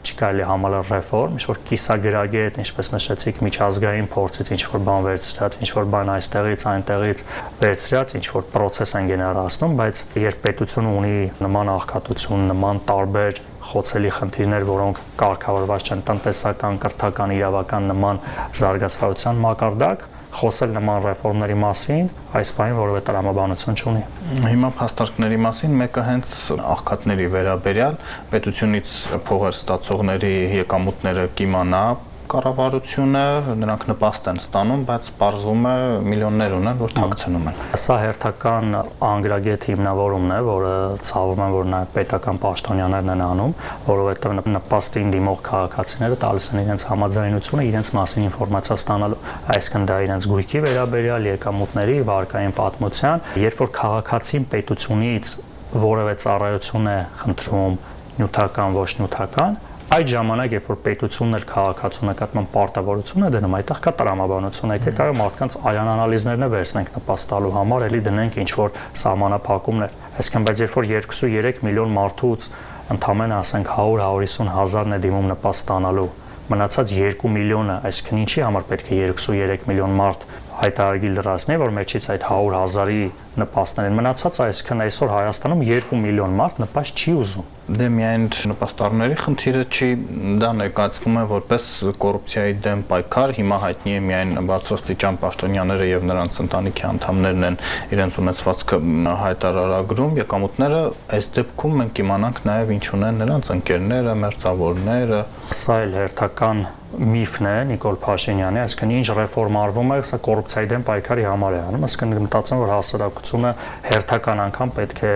չի կարելի համալել ռեֆորմ, ինչ-որ կիսագրագետ, ինչպես նշեցիք, միջազգային փորձից ինչ-որ բան վերցրած, ինչ-որ բան այստեղից, այնտեղից վերցրած, ինչ-որ պրոցես են գեներացնում, բայց երբ պետությունը ունի նման աղքատություն, նման տարբեր խոցելի խնդիրներ, որոնք կարգավորված չեն տնտեսական, կրթական, իրավական նման զարգացվածության մակարդակ, խոսել նման ռեֆորմների մասին այս բանի որևէ տրամաբանություն չունի։ Հիմա փաստարկների մասին մեկը հենց աղքատների վերաբերյալ պետությունից փողեր ստացողների եկամուտները կիմանա, Կառավարությունը նրանք նպաստ են ստանում, բայց պարզվում է միլիոններ ունեն, որ թաքցնում են։ Սա հերթական անգրագետ հիմնավորումն է, որը ցավում են, որ նաև պետական պաշտոնյաներն են անում, որովհետև նպաստին դիմող քաղաքացիները տալիս են իրենց համաձայնությունը իրենց մասին ինֆորմացիա ստանալու, այսինքն դա իրենց գույքի վերաբերյալ, եկամուտների, վարկային պատմության, երբ որ քաղաքացին պետությունից որևէ ծառայություն է խնդրում, նյութական, ոչ նյութական, այդ ժամանակ, երբ որ պետությունն էլ քաղաքացու նկատմամբ պարտավորություն է դնում, այդտեղ կա տրամաբանություն, եկեք այո մարդկանց արյան անալիզներն է վերցնենք նպաստալու համար, էլի դնենք ինչ որ սահմանափակումներ, այսինքն բայց երբ որ երկուսուերեք միլիոն մարդուց ընդամենը ասենք հարյուր հարյուր հազարն է դիմում նպաստ ստանալու, մնացած երկու միլիոնը, այսինքն ինչի համար պետք է երկուսուերեք միլիոն մարդ հայտարարագիր լրացնի, որ մեջից այդ հարյուր հազարի նպաստներ են մնացած, այսինքն այսօր Հայաստանում երկու միլիոն մարդ նպաստ չի ուզում։ Դե միայն նպաստառների խնդիրը չի, դա ներկայացվում է որպես կոռուպցիայի դեմ պայքար, հիմա հայտնի է միայն բարձրաստիճան պաշտոնյաները եւ նրանց ընտանիքի անդամներն են իրենց ունեցվածքը հայտարարագրում, եկամուտները այս դեպքում մենք իմանանք նաեւ ինչ ունեն նրանց ընկերները, մերձավորները։ Սա էլ հերթական միֆն է Նիկոլ Փաշինյանի, այսինքն ինչ ռեֆորմ արվում է, սա կոռուպցիայի դեմ պայքարի համար է անում, այսինքն մտածեմ, որ հասարակությունը հերթական անգամ պետք է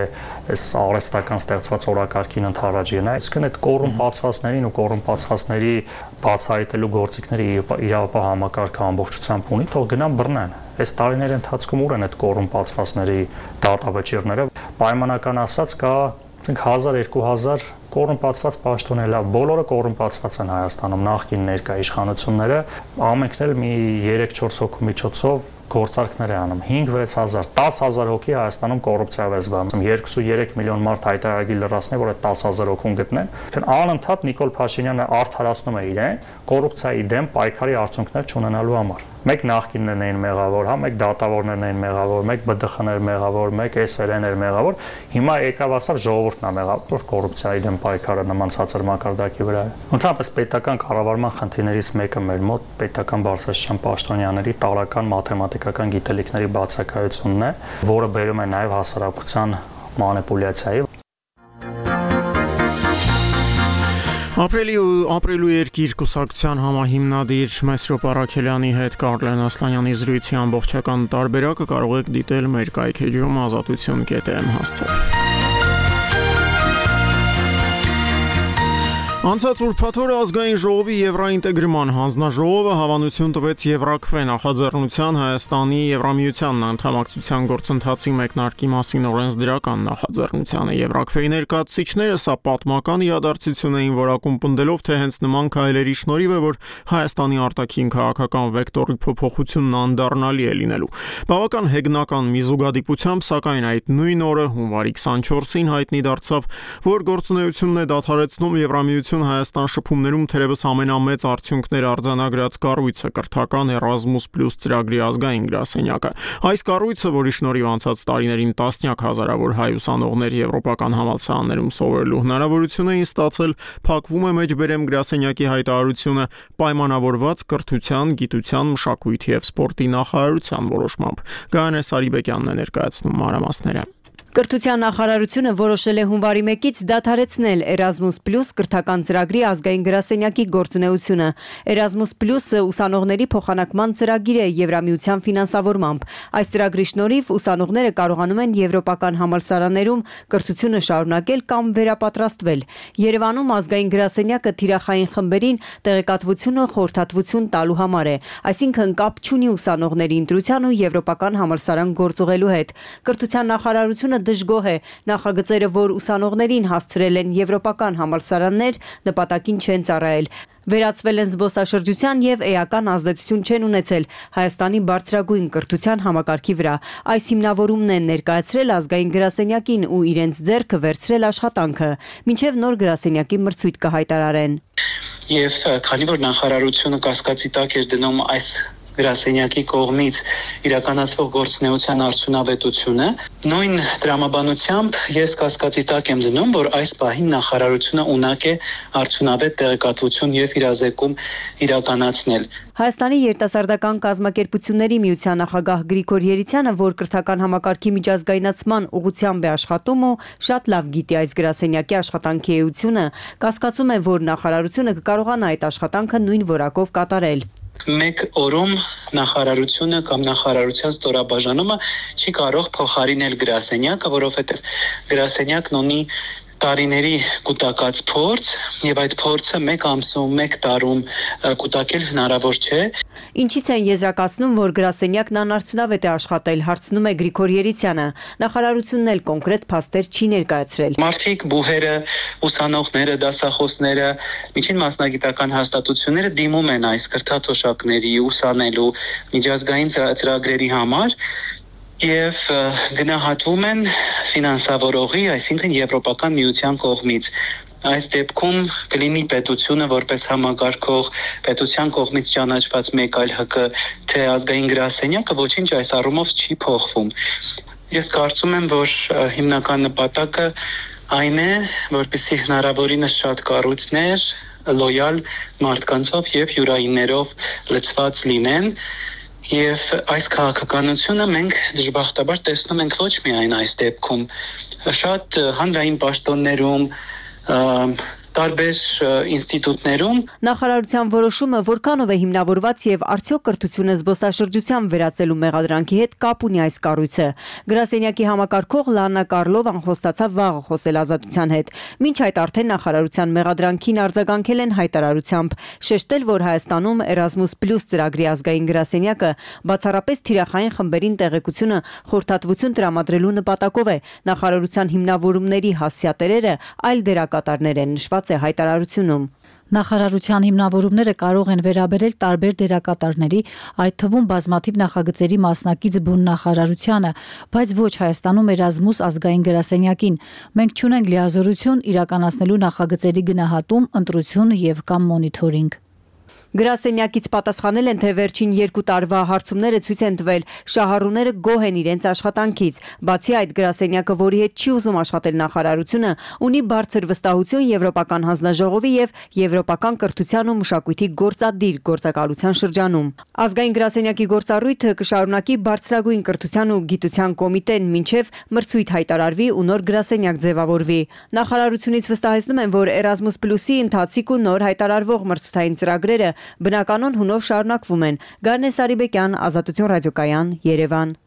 այս արհեստական ստեղծված օրակարգին ընդառաջ գնա, այսինքն այդ կոռումպացվածներին ու կոռումպացվածների բացահայտելու գործիքները իրավապահ համակարգը ամբողջությամբ ունի, թող գնան բռնեն։ Այս տարիների ընթացքում ուր են այդ կոռումպացվածների դատավճիռները, պայմանական ասած կա հազար երկու հազար կոռումպացված պաշտոն է, լավ, բոլորը կոռումպացված են Հայաստանում, նախկին ներկա իշխանությունները, ամենքն էլ մի երեք-չորս հոգու միջոցով գործարքներ է անում, հինգ-վեց հազար, տասը հազար հոգի Հայաստանում կոռուպցիայով է զբաղվում, երկուսուերեք միլիոն մարդ հայտարարագիր լրացնի, որ այդ տասը հազար հոգուն գտնեն, անընդհատ Նիկոլ Փաշինյանը արդարացնում է իրեն կոռուպցիայի դեմ պայքարի արդյունքներ չունենալու համար։ Մեկ նախկիններն էին մեղավոր, հա, մեկ դատավորներն էին մեղավոր, մեկ B D X-ներ մեղավոր, մեկ S R N-եր մեղավոր, հիմա եկավ ասար ժողովուրդն է մեղավոր կոռուպցիայի դեմ պայքարը նման ցածր մակարդակի վրա է։ Ընդհանրապես պետական կառավարման խնդիրներից մեկը մեր մոտ պետական բարձրաստիճան պաշտոնյաների տարրական մաթեմատիկական գիտելիքների բացակայությունն է, որը բերում է նաև հասարակության մանիպուլյացիայի։ Ապրիլի ու ապրիլու երկիր կուսակցության համահիմնադիր Մեսրոպ Արաքելյանի հետ Կարլեն Ասլանյանի զրույցի ամբողջական տարբերակը կարող եք դիտել մեր կայքեջում ազատություն կետ եմ հասցրել։ Անցած ուրբաթ օրը ազգային ժողովի Եվրաինտեգրման հանձնաժողովը հավանություն տվեց Եվրաքվե նախաձեռնության Հայաստանի Եվրամիության անդամակցության գործընթացի մեկնարկի մասին օրենսդրական նախաձեռնությանը։ Եվրաքվեի ներկայացուցիչները սա պատմական իրադարձություն էին որակում պնդելով, թե հենց նման քայլերի շնորհիվ է, որ Հայաստանի արտաքին քաղաքական վեկտորի փոփոխությունն անդառնալի է լինելու։ Բավական հեգնական մի զուգադիպությամբ, սակայն այդ նույն օրը հունվարի քսանչորսին հայտնի դարձավ, որ գործունեությունն է դադարեցնում Եվրամիության Հայաստան շփումներում թերևս ամենամեծ արդյունքներ արձանագրած կառույցը կրթական Erasmus Plus ծրագրի ազգային գրասենյակը։ Այս կառույցը, որի շնորհիվ անցած տարիներին տասնյակ հազարավոր հայ ուսանողներ եվրոպական համալսարաններում սովորելու հնարավորություն էին ստացել, փակվում է մեջբերեմ գրասենյակի հայտարարությունը պայմանավորված կրթության, գիտության, մշակույթի եւ սպորտի նախարարության որոշմամբ։ Գայանե Սարիբեկյանն է ներկայացնում մանրամասները։ Կրթության նախարարությունը որոշել է հունվարի մեկից դադարեցնել Erasmus Plus կրթական ծրագրի ազգային գրասենյակի գործունեությունը։ Erasmus Plus-ը ուսանողների փոխանակման ծրագիր է Եվրամիության ֆինանսավորմամբ։ Այս ծրագրի շնորհիվ ուսանողները կարողանում են եվրոպական համալսարաններում կրթությունը շարունակել կամ վերապատրաստվել։ Երևանում ազգային գրասենյակը թիրախային խմբերին տեղեկատվությունը խորհրդատվություն տալու համար է, այսինքն կապ չունի ուսանողների ընտրության ու եվրոպական համալսարան գործուղելու հետ։ Կրթության նախարարությունը դժգոհ է նախագծերը, որ ուսանողներին հասցրել են եվրոպական համալսարաններ, նպատակին չեն ծառայել։ Վերացվել են զբոսաշրջության եւ էական ազդեցություն չեն ունեցել Հայաստանի բարձրագույն կրթության համակարգի վրա։ Այս հիմնավորումն են ներկայացրել ազգային գրասենյակին ու իրենց ձեռքը վերցրել աշխատանքը, մինչեւ նոր գրասենյակի մրցույթ կհայտարարեն։ Եվ քանի որ նախարարությունը կասկածի տակ էր դնում այս գրասենյակի կողմից իրականացվող գործունեության արդյունավետությունը, նույն տրամաբանությամբ ես կասկածի տակ եմ դնում, որ այս պահին նախարարությունը ունակ է արդյունավետ տեղեկատվություն եւ իրազեկում իրականացնել։ Հայաստանի երիտասարդական կազմակերպությունների միության նախագահ Գրիգոր Երիցյանը, որ կրթական համակարգի միջազգայնացման ուղղությամբ է աշխատում ու շատ լավ գիտի այս գրասենյակի աշխատանքի էությունը, կասկածում է, որ նախարարությունը կկարողանա այդ աշխատանքը նույն որակով կատարել։ Մեկ օրում նախարարությունը կամ նախարարության ստորաբաժանումը չի կարող փոխարինել գրասենյակը, որովհետև գրասենյակն ունի տարիների կուտակած փորձ եւ այդ փորձը մեկ ամսում, մեկ տարում կուտակել հնարավոր չէ։ Ինչից են եզրակացնում, որ գրասենյակն անարդյունավետ է աշխատել, հարցնում է Գրիգոր Երիցյանը։ Նախարարությունն էլ կոնկրետ փաստեր չի ներկայացրել։ Մարդիկ, բուհերը, ուսանողները, դասախոսները, միջին մասնագիտական հաստատությունները դիմում են այս կրթաթոշակների ուսանելու միջազգային ծրագրերի համար եւ գնահատվում են ֆինանսավորողի, այսինքն Եվրոպական միության կողմից։ Այս դեպքում կլինի պետությունը որպես համագարկող պետության կողմից ճանաչված մեկ այլ ՀԿ թե ազգային գրասենյակը ոչինչ այս առումով չի փոխվում։ Ես կարծում եմ, որ հիմնական նպատակը այն է, որպեսզի հնարավորինս շատ կառույցներ լոյալ մարդկանցով եւ յուրայիններով լցված լինեն։ Եվ այս քաղաքականությունը մենք դժբախտաբար տեսնում ենք ոչ միայն այս դեպքում, շատ հանրային պաշտոններում, տարբեր ինստիտուտներում։ Նախարարության որոշումը որքանով է հիմնավորված եւ արդյոք կրթությունը զբոսաշրջության վերածելու մեղադրանքի հետ կապ ունի այս կառույցը։ Գրասենյակի համակարգող Լաննա Կարլովան խոստացավ վաղը խոսել Ազատության հետ։ Մինչ այդ արդեն նախարարության մեղադրանքին արձագանքել են հայտարարությամբ, շեշտել, որ Հայաստանում Erasmus Plus ծրագրի ազգային գրասենյակը բացառապես թիրախային խմբերին տեղեկությունը խորհրդատվություն տրամադրելու նպատակով է։ Նախարարության հիմնավորումների հասցեատերերը այլ դերակատարներ են նշված է հայտարարությունում։ Նախարարության հիմնավորումները կարող են վերաբերել տարբեր դերակատարների, այդ թվում բազմաթիվ նախագծերի մասնակից բուն նախարարությանը, բայց ոչ Հայաստանում Erasmus ազգային գրասենյակին։ Մենք չունենք լիազորություն իրականացնելու նախագծերի գնահատում, ընտրություն եւ կամ մոնիթորինգ։ Գրասենյակից պատասխանել են, թե վերջին երկու տարվա հարցումները ցույց են տվել, շահառուները գոհ են իրենց աշխատանքից։ Բացի այդ, գրասենյակը, որի հետ չի ուզում աշխատել նախարարությունը, ունի բարձր վստահություն Եվրոպական հանձնաժողովի եւ Եվրոպական կրթության ու մշակույթի գործադիր գործակալության շրջանում։ Ազգային գրասենյակի գործառույթը կշարունակի բարձրագույն կրթության ու գիտության կոմիտեն, մինչև մրցույթ հայտարարվի ու նոր գրասենյակ ձևավորվի։ Նախարարությունից վստահեցնում են, որ Erasmus Plus-ի ընթացիկ ու նոր հայտարարվող մրցութային ծրագրերը բնականon հունով շարունակվում են։ Գարնե Սարիբեկյան, Ազատություն ռադիոկայան, Երևան։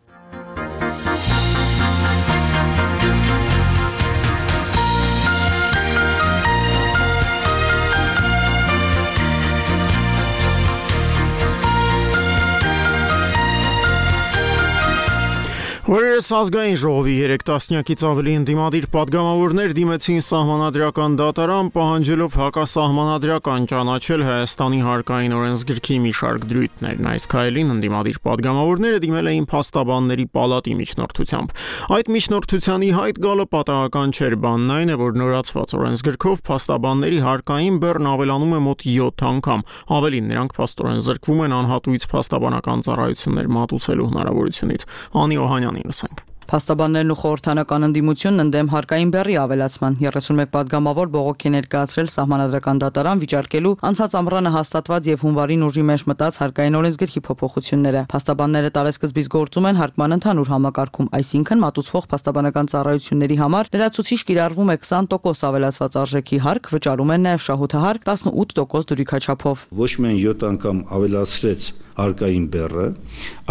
Օրերս ազգային ժողովի երեք տասնյակից ավելի ընդդիմադիր պատգամավորներ դիմեցին սահմանադրական դատարան, պահանջելով հակասահմանադրական ճանաչել Հայաստանի հարկային օրենսգրքի մի շարք դրույթներն։ Այս քայլին ընդդիմադիր պատգամավորները դիմել էին փաստաբանների պալատի միջնորդությամբ։ Այդ միջնորդության ի հայտ գալը պատահական չէր, բանն այն է, որ նորացված օրենսգրքով փաստաբանների հարկային բեռն ավելանում է մոտ յոթ անգամ։ Ավելին, նրանք փաստորեն զրկվում են անհատույց փաստաբանական ծառայություններ մատուցելու հնարավորությունից։ Անի Օհանյանին լսենք։ Փաստաբաններն ու խորհրդանական ընդդիմությունն ընդդեմ հարկային բեռի ավելացման երեսունմեկ պատգամավոր բողոք է ներկայացրել սահմանադրական դատարան վիճարկելու անցած ամռանը հաստատված եւ հունվարին ուժի մեջ մտած հարկային օրենսգրքի փոփոխությունները։ Փաստաբանները տարեսկզբից գործում են հարկման ընդհանուր համակարգում, այսինքն մատուցվող փաստաբանական ծառայությունների համար լրացուցիչ կիրառվում է քսան տոկոս ավելացված արժեքի հարկ, վճարում են նաեւ շահութահարկ տասնութ տոկոս դրույքաչափով։ Ոչ միայն յոթ անգամ ավելացրեց հարկային բեռը,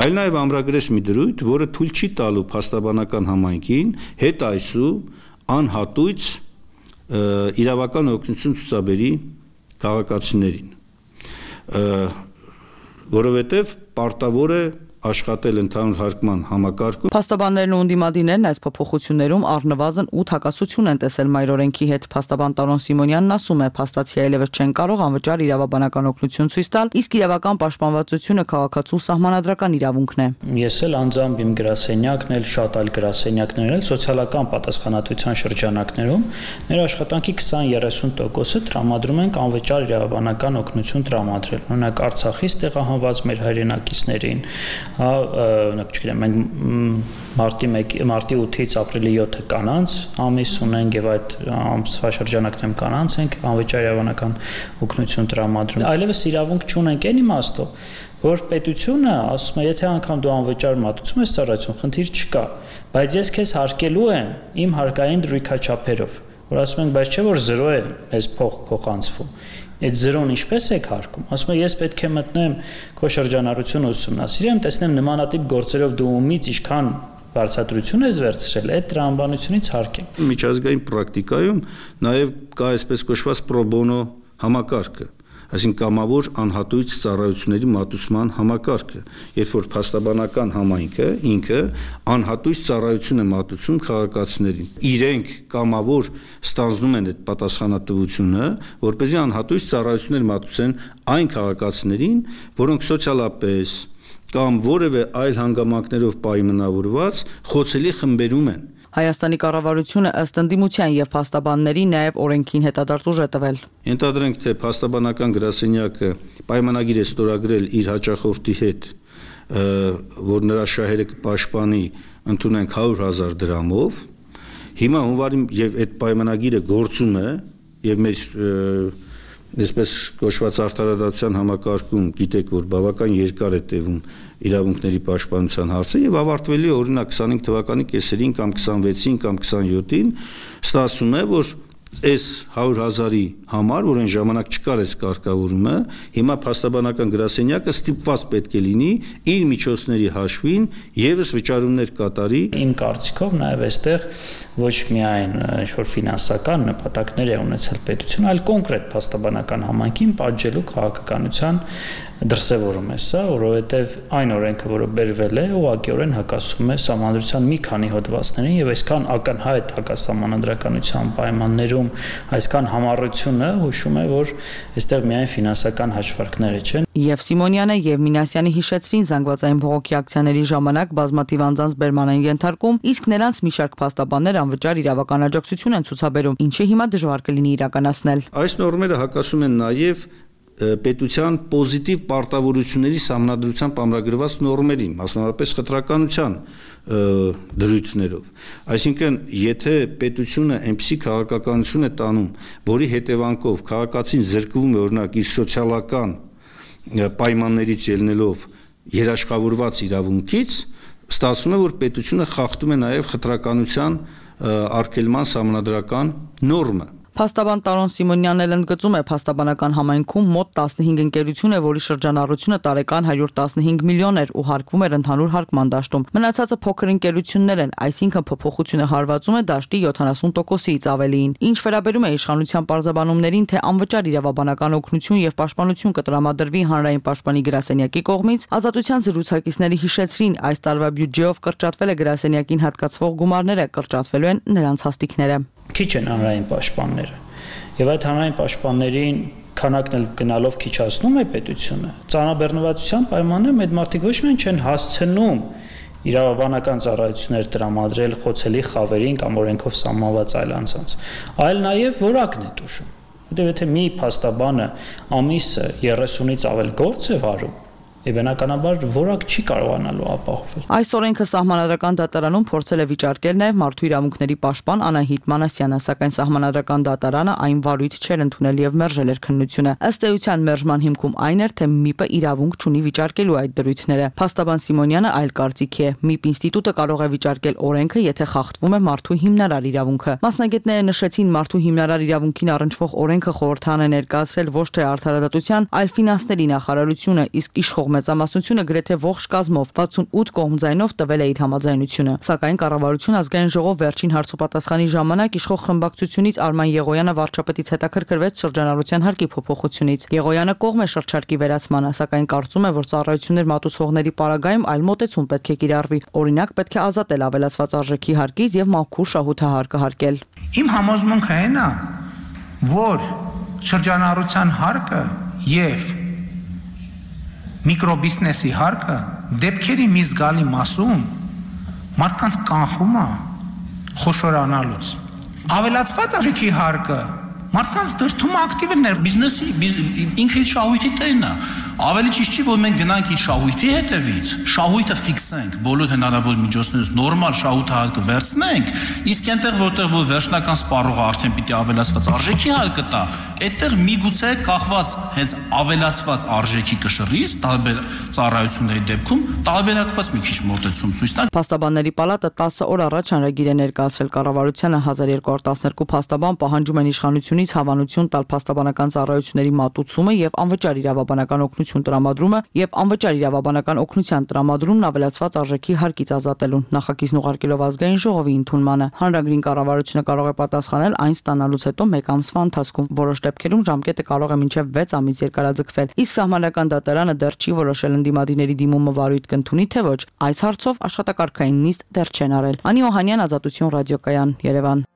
այլ նաև ամրագրեց մի դրույթ, որը թույլ չի տալու փաստաբանական համայնքին հետ այսու անհատույց իրավական օգնություն ցուցաբերի քաղաքացիներին, որովհետև պարտավոր է աշխատել ընդհանուր հարկման համակարգում։ Փաստաբաններն ու անդիմադիրներն այս փոփոխություններում առնվազն ութ հակասություն են տեսել մայր օրենքի հետ։ Փաստաբան Տարոն Սիմոնյանն ասում է, փաստացի այլևս չեն կարող անվճար իրավաբանական օգնություն ցույց տալ, իսկ իրավական պաշտպանվածությունը քաղաքացու սահմանադրական իրավունքն է։ Ես էլ անձամբ իմ գրասենյակն էլ շատ այլ գրասենյակներ էլ սոցիալական պատասխանատվության շրջանակներում մեր աշխատանքի քսան երեսուն տոկոսը տրամադրում ենք անվճար իրավաբանական օգնություն տրամադրել։ Օրինակ Արցախից տեղահանված մեր հայրենակիցներին, հա, օրինակ չգիտեմ, մենք մարտի մարտի ութից ապրիլի յոթը կանանց ամիս ունենք եւ այդ ամսվա շրջանակներում կանանց ենք անվճար իրավաբանական օգնություն տրամադրում։ Այլևս իրավունք չունենք այն իմաստով, որ պետությունը ասում է, եթե անգամ դու անվճար մատուցում ես ծառայություն, խնդիր չկա, բայց ես քեզ հարկելու եմ իմ հարկային դրույքաչափերով, որ ասում ենք, բայց չէ որ զրո է այս փող փոխանցվում։ Այդ զրոն ինչպես եք հարկում։ Ասում եմ, ես պետք է մտնեմ քո շրջանառությունը ուսումնասիրեմ, տեսնեմ նմանատիպ գործերով դու ումից ինչքան բարձրացություն ես վերցրել, այդ տրամաբանությունից հարկեմ։ Միջազգային պրակտիկայում նաև կա այսպես կոչված պրո բոնո համակարգը, այսինքն կամավոր անհատույց ծառայությունների մատուցման համակարգը, երբ որ փաստաբանական համայնքը ինքը անհատույց ծառայություն է մատուցում քաղաքացիներին։ Իրենք կամավոր ստանձնում են այդ պատասխանատվությունը, որպեսզի անհատույց ծառայություններ մատուցեն այն քաղաքացիներին, որոնք սոցիալապես կամ որևէ այլ հանգամանքներով պայմանավորված խոցելի խմբերում են։ Հայաստանի կառավարությունը ըստ ընդդիմության եւ փաստաբանների նաեւ օրենքին հետադարձ է տվել։ Ենթադրենք, թե փաստաբանական գրասենյակը պայմանագիր է ստորագրել իր հաճախորդի հետ, որ նրա շահերը կպաշտպանի, ընդունենք հարյուր հազար դրամով, հիմա հունվարի եւ այդ պայմանագիրը գործում է եւ մեր այսպես կոչված արդարադատության համակարգում գիտեք, որ բավական երկար է տևում իրավունքների պաշտպանության հարցը եւ ավարտվելի է օրինակ քսանհինգ թվականի կեսերին կամ քսանվեցին կամ քսանյոթին, ստացվում է, որ այս հարյուր հազարի համար, որ այն ժամանակ չկար այս կարգավորումը, հիմա փաստաբանական գրասենյակը ստիպված պետք է լինի իր միջոցների հաշվին եւս վճարումներ կատարի։ Իմ կարծիքով նաեւ այստեղ ոչ միայն ինչ-որ ֆինանսական նպատակներ է ունեցել պետություն, այլ կոնկրետ փաստաբանական համայնքին պատժելու քաղաքականության դրսևորում է սա, որովհետև այն օրենքը, որը բերվել է, ուղղակիորեն հակասում է սահմանադրության մի քանի հոդվածներին եւ այսքան ակնհայտ հակասահմանադրականության պայմաններում այսքան համառությունը հուշում է, որ այստեղ միայն ֆինանսական հաշվարկները չեն։ Եվ Սիմոնյանը եւ Մինասյանը հիշեցրին զանգվածային բողոքի ակցիաների ժամանակ բազմաթիվ անձանց բերման են ենթարկում, իսկ նրանց մի շարք փաստաբաններ անվճար իրավական աջակցություն են ցուցաբերում, ինչը հիմա դժվար կլինի իրականացնել։ Այս նորմերը հակասում են նաեւ պետության պոզիտիվ պարտավորությունների սահմանադրությամբ ամրագրված նորմերին, մասնավորապես խտրականության դրույթներով։ Այսինքն, եթե պետությունը այնպիսի քաղաքականություն է տանում, որի հետևանքով քաղաքացին զրկվում է օրինակ իր սոցիալական պայմաններից ելնելով երաշխավորված իրավունքից, ստացվում է, որ պետությունը խախտում է նաև խտրականության արգելման սահմանադրական նորմը։ Փաստաբան Տարոն Սիմոնյանն էլ ընդգծում է, փաստաբանական համայնքում մոտ տասնհինգ ընկերություն է, որի շրջանառությունը տարեկան հարյուր տասնհինգ միլիոն էր ու հարկվում էր ընդհանուր հարկման դաշտում։ Մնացածը փոքր ընկերություններ են, այսինքն փոփոխությունը հարվածում է դաշտի յոթանասուն տոկոսից ավելիին։ Ինչ վերաբերում է իշխանության պարզաբանումներին, թե անվճար իրավաբանական օգնություն եւ պաշտպանություն կտրամադրվի հանրային պաշտպանի գրասենյակի կողմից, Ազատության զրուցակիցների հիշեցրին, այս տարվա բյուջեով կրճատվել է գրասենյակին հատկացվող գումարները, կրճատվելու են նրանց հաստիկները։ Քիչ են հանրային պաշտպանները եւ այդ հանրային պաշտպաններին քանակն էլ գնալով քիչացնում է պետությունը։ Ծանրաբեռնվածության պայմաններում այդ մարդիկ ոչ միայն չեն հասցնում իրավաբանական ծառայություններ տրամադրել խոցելի խավերին կամ օրենքով սահմանված այլ անձանց, այլ նաեւ որակն է տուժում։ Որտեղ եթե մի փաստաբանը ամիսը երեսունից ավել գործ է վարում, եւ բնականաբար որակ չի կարողանալու ապահովել։ Այս օրենքը սահմանադրական դատարանում փորձել է վիճարկել նաեւ մարդու իրավունքների պաշտպան Անահիտ Մանասյանը, սակայն սահմանադրական դատարանը այն վարույթ չէր ընդունել եւ մերժել էր քննությունը։ Ըստ էության մերժման հիմքում այն էր, թե ՄԻՊ-ը իրավունք չունի վիճարկելու այդ դրույթները։ Փաստաբան Սիմոնյանը այլ կարծիքի է։ ՄԻՊ ինստիտուտը կարող է վիճարկել օրենքը, եթե խախտվում է մարդու հիմնարար իրավունքը։ Մասնագետները նշեցին, մարդու հիմնարար իրավունքին առնչվող օրենքը խորհրդան է ներկայացրել ոչ թե արդարադատության, այլ ֆինանսների նախարարությունը, իսկ իշխող մեծամասնությունը գրեթե ողջ կազմով վաթսունութ կողմ ձայնով տվել է իր համաձայնությունը։ Սակայն կառավարություն ազգային ժողով վերջին հարցոպատասխանի ժամանակ իշխող խմբակցությունից Արման Եղոյանը վարչապետից հետաքրքրվեց շրջանառության հարկի փոփոխությունից։ Եղոյանը կողմ է շրջարկի վերացմանը, սակայն կարծում է, որ ծառայություններ մատուցողների պարագայում այլ մոտեցում պետք է կիրառվի։ Օրինակ, պետք է ազատել ավելացված արժեքի հարկից եւ մաքուր շահութահարկը հարկել։ Իմ համոզմունքը այն է, որ շրջանառության հարկը եւ միկրոբիզնեսի հարկը դեպքերի մի զգալի մասում մարդկանց կանխում է խոշորանալուց։ Ավելացված արժեքի հարկը մարդկանց դրդում ակտիվներ բիզնեսի ինքը իր շահույթի տերն է։ Ավելի ճիշտ չի, որ մենք գնանք իր շահույթի հետևից, շահույթը ֆիքսենք, բոլոր հնարավոր միջոցներով նորմալ շահութահարկը վերցնենք, իսկ այնտեղ որտեղ որ վերջնական սպառողը արդեն պիտի ավելացված արժեքի հարկը տա, այդտեղ միգուցե կախված հենց ավելացված արժեքի կշռից տարբեր ծառայությունների դեպքում տարբերակված մի քիչ մոտեցում ցույց տա։ Փաստաբանների պալատը տասը օր առաջ հանրագիր է ներկայացրել կառավարությանը հազար երկու հարյուր տասներկու փաստաբան պահանջում են իշխանությունից հավանություն տալ փաստաբանական ծառայությունների մատուցումը եւ անվճար իրավաբանական օգնություն տրամադրումը եւ անվճար իրավաբանական օգնության տրամադրումն ավելացված արժեքի հարկից ազատելուն նախագիծն ուղարկելով ազգային ժողովի ընդունմանը։ Հանրագրին կառավարությունը կարող է պատասխանել այն ստանալուց հետո մեկ ամսվա ընթացքում, որոշ դեպքերում ժամկետը կարող է մինչև վեց ամիս երկարաձգվել։ Իսկ Սահմանադրական դատարանը դեռ չի որոշել ընդդիմադիրների դիմումը վարույթ կընդունի թե ոչ։ Այս հարցով աշխատակարգային նիստ դեռ չեն արել։ Անի Օհանյան, Ազատություն ռադիոկայան, Երևան։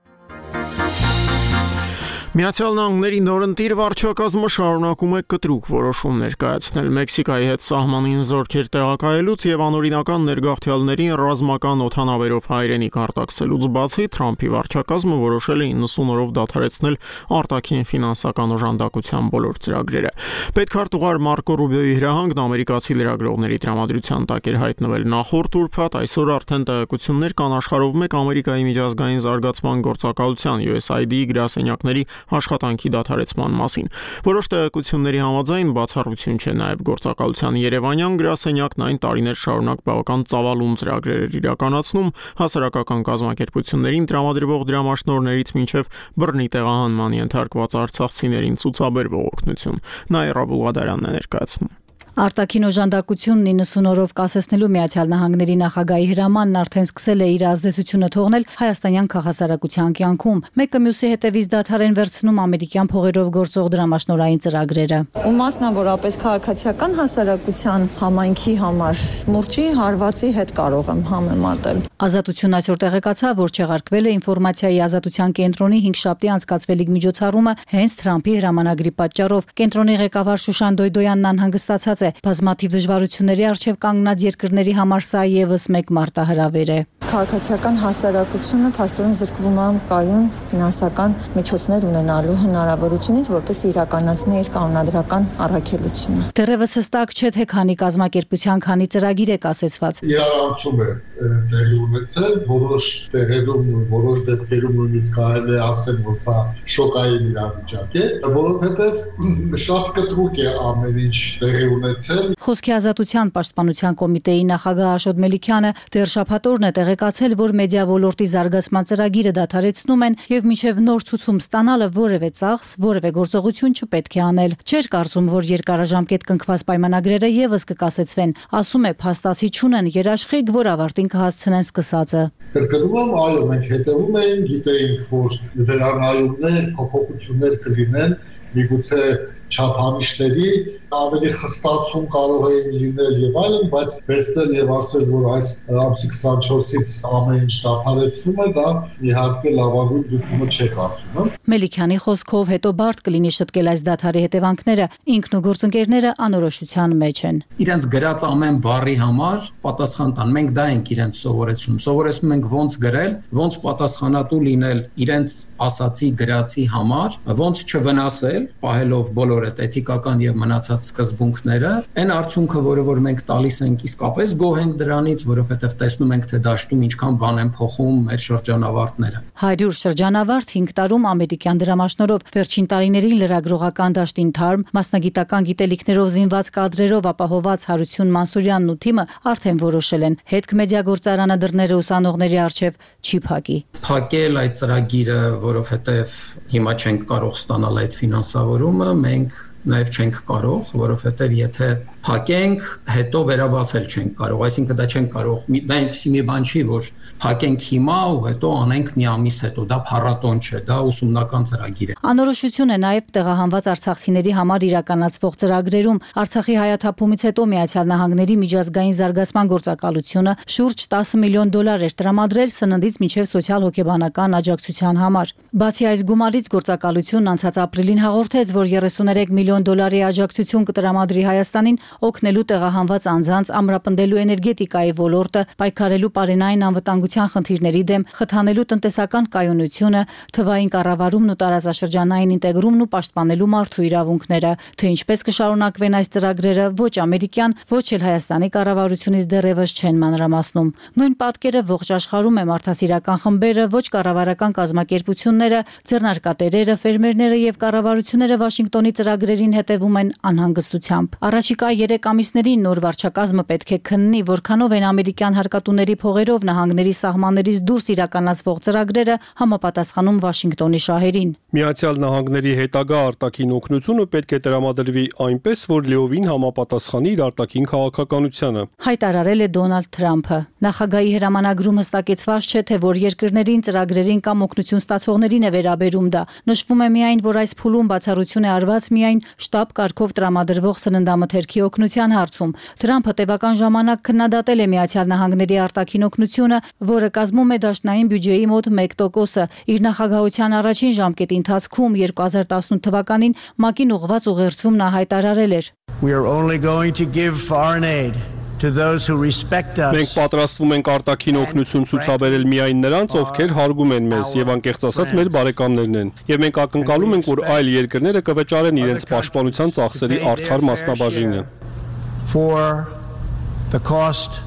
Միացյալ Նահանգների նորընտիր վարչակազմը շարունակում է կտրուկ որոշումներ կայացնել Մեքսիկայի հետ սահմանին զորքեր տեղակայելուց եւ անօրինական ներգաղթյալներին ռազմական օդանավերով հայրենիք արտաքսելուց բացի Թրամփի վարչակազմը որոշել է իննսուն օրով դադարեցնել արտաքին ֆինանսական օժանդակության բոլոր ծրագրերը։ Պետքարտուղար Մարկո Ռուբիոյի հրահանգն ամերիկացի լրագրողների տրամադրության տակ էր հայտնվել նախորդ ուրբաթ, այսօր արդեն տեղեկություններ կան աշխարհով մեկ Ամերիկայի միջազգային զարգացման գործակալության յու էս այ դի-ի գրասենյակների աշխատանքի դադարեցման մասին։ Որոշ տեղեկությունների համաձայն բացառություն չէ նաև գործակալության Երևանյան գրասենյակն այն տարիներ շարունակ բավական ծավալուն ծրագրեր էր իրականացնում հասարակական կազմակերպություններին տրամադրվող դրամաշնորհներից մինչև բռնի տեղահանման ենթարկված արցախցիներին ցուցաբերվող օգնություն։ Նաիրա Բուլղադարյանն է ներկայացնում։ Արտաքին օժանդակությունն իննսուն օրով կասեցնելու Միացյալ Նահանգների նախագահի հրամանն արդեն սկսել է իր ազդեցությունը թողնել հայաստանյան քաղաքասարակության կյանքում։ Մեկը մյուսի հետևից դադար են վերցնում ամերիկյան փողերով գործող դրամաշնորհային ծրագրերը։ Ու մասնավորապես քաղաքացիական հասարակության համայնքի համար մուրճի հարվածի հետ կարող եմ համեմատել։ Ազատություն այսօր տեղեկացավ, որ չեղարկվել է ինֆորմացիայի ազատության կենտրոնի հինգշաբթի անցկացվելիք միջոցառումը հենց Թրամփի հրամանագրի պատճառով։ Կենտրոնի ղեկավար Շուշան Դոյդոյանն անհանգստացած է բազմաթիվ դժվարությունների առջև կանգնած երկրների համար սա եւս մեկ մարտահրավեր է։ Քաղաքացիական հասարակությունը փաստորեն զրկվում է կայուն ֆինանսական միջոցներ ունենալու հնարավորությունից, որպես իրականացնի իր կանոնադրական առաքելությունը։ Դեռևս հստակ չէ, թե քանի կազմակերպության քանի ծրագիր է կասեցված։ Իրարանցում է տեղի ունեցել, որոշ տեղերում, որոշ դեպքերում նույնիսկ կարելի է ասել, որ սա շոկային իրավիճակ է, որովհետև շատ կտրուկ է ամեն ինչ տեղի ունեցել։ Խոսքի ազատության պաշտպանության կոմիտեի նախագահ Աշոտ Մելիքյանը դեռ շաբաթօրն է տեղեկացել, որ մեդիա ոլորտի զարգացման ծրագիրը դադարեցնում են եւ մինչեւ նոր ցուցում ստանալը որևէ ծախս, որևէ գործողություն չպետք է անել։ Չէր կարծում, որ երկարաժամկետ կնքված պայմանագրերը եւս կկասեցվեն, ասում է փաստացի չունեն երաշխիք, որ ավարտին կհասցնեն սկսածը։ Կրկնում եմ, այո, մենք հետևում ենք, գիտեինք, որ վերանայումներ, փոփոխություններ կլինեն, միգուցե չափանիշների ավելի խստացում կարող էին լինել եւ այլն, բայց վերցնել եւ ասել, որ այս ամսի քսանչորսից ամեն ինչ դադարեցվում է, դա իհարկե լավագույն դեպքը չէ կարծում։ Մելիքյանի խոսքով հետո բարդ կլինի շտկել այս դադարի հետևանքները, ինքն ու գործընկերները անորոշության մեջ են։ Իրենց գրած ամեն բառի համար պատասխան տան, մենք դա ենք իրենց սովորեցնում։ Սովորեցնում ենք ոնց գրել, ոնց պատասխանատու լինել իրենց ասացի գրածի համար, ոնց չվնասել, պահելով բոլոր այդ էթիկական եւ մնացած սկզբունքները, այն արդյունքը, որը որ մենք տալիս ենք, իսկապես գոհ ենք դրանից, որովհետեւ տեսնում ենք, թե դաշտում ինչքան բան են փոխում մեր շրջանավարտները։ հարյուր շրջանավարտ հինգ տարում ամերիկյան դրամաշնորհով վերջին տարիներին լրագրողական դաշտին թարմ մասնագիտական գիտելիքներով զինված կադրերով ապահոված Հարություն Մանսուրյանն ու թիմը արդեն որոշել են հետք մեդիա գործարանը դռները ուսանողների առջև չի փակի։ Փակել այդ ծրագիրը, որովհետեւ հիմա չենք կարող ստանալ այդ ֆինանսավորումը, մենք նաև չենք կարող, որովհետև եթե փակենք, հետո վերաբացել չենք կարող, այսինքն դա չենք կարող, դա այնպեսի մի բան չի, որ փակենք հիմա ու հետո անենք մի ամիս հետո, դա փառատոն չէ, դա ուսումնական ծրագիր է։ Անորոշություն է նաև տեղահանված արցախցիների համար իրականացվող ծրագրերում։ Արցախի հայաթափումից հետո Միացյալ Նահանգների միջազգային զարգացման գործակալությունը շուրջ տասը միլիոն դոլար էր տրամադրել սննդից մինչև սոցիալ-հոգեբանական աջակցության համար։ Բացի այս գումարից գործակալությունն անցած ապրիլին հաղորդեց, որ երեսուներեք միլիոն դոլարի աջակցություն կտրամադրի Հայաստանին օգնելու տեղահանված անձանց ամրապնդելու էներգետիկայի ոլորտը, պայքարելու պարենային անվտանգության խնդիրների դեմ, խթանելու տնտեսական կայունությունը, թվային կառավարումն ու տարածաշրջանային ինտեգրումն ու պաշտպանելու մարդու իրավունքները, թե ինչպես կշարունակվեն այս ծրագրերը, ոչ ամերիկյան, ոչ էլ Հայաստանի կառավարությունից դեռևս չեն մանրամասնում։ Նույն պատկերը ողջ աշխարհում է մարդասիրական խմբերը, ոչ կառավարական կազմակերպությունները, ձեռնարկատերերը, ֆերմերները եւ կառավարությունները Վաշինգտոնի ծրագրերին հետևում են անհանգստությամբ։ Առաջիկա երեք ամիսներին նոր վարչակազմը պետք է քննի, որքանով են ամերիկյան հարկատուների փողերով նահանգների սահմաններից դուրս իրականացվող ծրագրերը համապատասխանում Վաշինգտոնի շահերին։ Միացյալ Նահանգների հետագա արտաքին օգնությունը պետք է տրամադրվի այնպես, որ լիովին համապատասխանի իր արտաքին քաղաքականությանը, հայտարարել է Դոնալդ Թրամփը։ Նախագահի հրամանագրում հստակեցված չէ, թե որ երկրներին, ծրագրերին կամ օգնություն ստացողներին է վերաբերում դա։ Նշվում է միայն, որ այս փուլում բացառություն է արված միայն շտաբ կարգով տրամադրվող սննդամթերքի օգնության հարցում։ Թրամփը տևական ժամանակ քննադատել է Միացյալ Նահանգների արտաքին օգնությունը, որը կազմում է դաշնային բյուջեի մոտ մեկ տոկոսը։ Իր նախագահության առաջին ժամկետի ընթացքում երկու հազար տասնութ թվականին ՄԱԿ-ին ուղղված ուղերձում նա հայտարարել էր. We are only going to give foreign aid to those who respect us. Մենք պատրաստվում ենք արտաքին օգնություն ցուցաբերել միայն նրանց, ովքեր հարգում են մեզ եւ անկեղծ ասած մեր բարեկամներն են։ Եվ մենք ակնկալում ենք, որ այլ երկրները կվճարեն իրենց պաշտպանության ծախսերի արդար մասնաբաժինը։ For the cost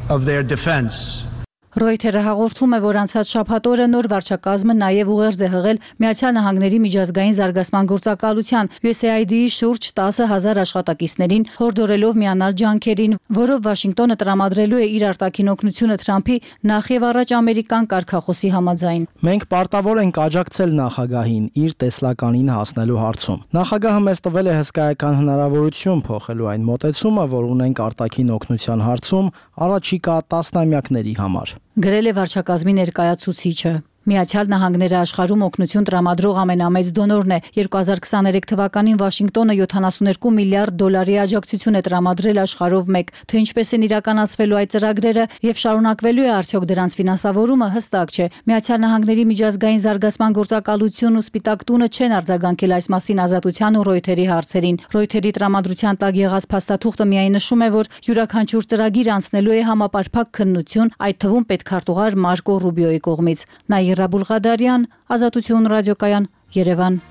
of their defense. Ռոյթերը հաղորդում է, որ անցած շաբաթ օրը նոր վարչակազմը նաև ուղերձ է հղել Միացյալ Նահանգների միջազգային զարգացման գործակալության յու էս έι այ դի-ի շուրջ տասը հազար աշխատակիցներին, հորդորելով միանալ ջանքերին, որով Վաշինգտոնը տրամադրելու է իր արտաքին օգնությունը Թրամփի նախ եւ առաջ ամերիկան կարգախոսի համաձայն։ Մենք պարտավոր ենք աջակցել նախագահին իր տեսլականին հասնելու հարցում։ Նախագահը մեզ տվել է հսկայական հնարավորություն փոխելու այն մոտեցումը, որ ունենք արտաքին օգնության հարցում առաջիկա տասնամյակների համար։ Գրել է վարչակազմի ներկայացուցիչը։ Միացյալ Նահանգները աշխարհում օգնություն տրամադրող ամենամեծ դոնորն է։ երկու հազար քսաներեք թվականին Վաշինգտոնը յոթանասունհինգ միլիարդ դոլարի աջակցություն է տրամադրել աշխարհով մեկ, թե ինչպես են իրականացվելու այդ ծրագրերը եւ շարունակվելու է արդյոք դրանց ֆինանսավորումը հստակ չէ։ Միացյալ Նահանգների միջազգային զարգացման գործակալությունն ու Սպիտակ տունը չեն արձագանքել այս մասին Ազատության ու Ռոյթերի հարցերին։ Ռոյթերի տրամադրության տակ եղած փաստաթուղթը միայն նշում է, որ յուրաքանչյուր ծրագիր անցնելու է համապարփակ քննություն, այդ թվում պետքարտուղար Մարկո Ռուբիոյի կողմից։ Նաիրա Բուլղադարյան, Ազատություն ռադիոկայան, Երևան։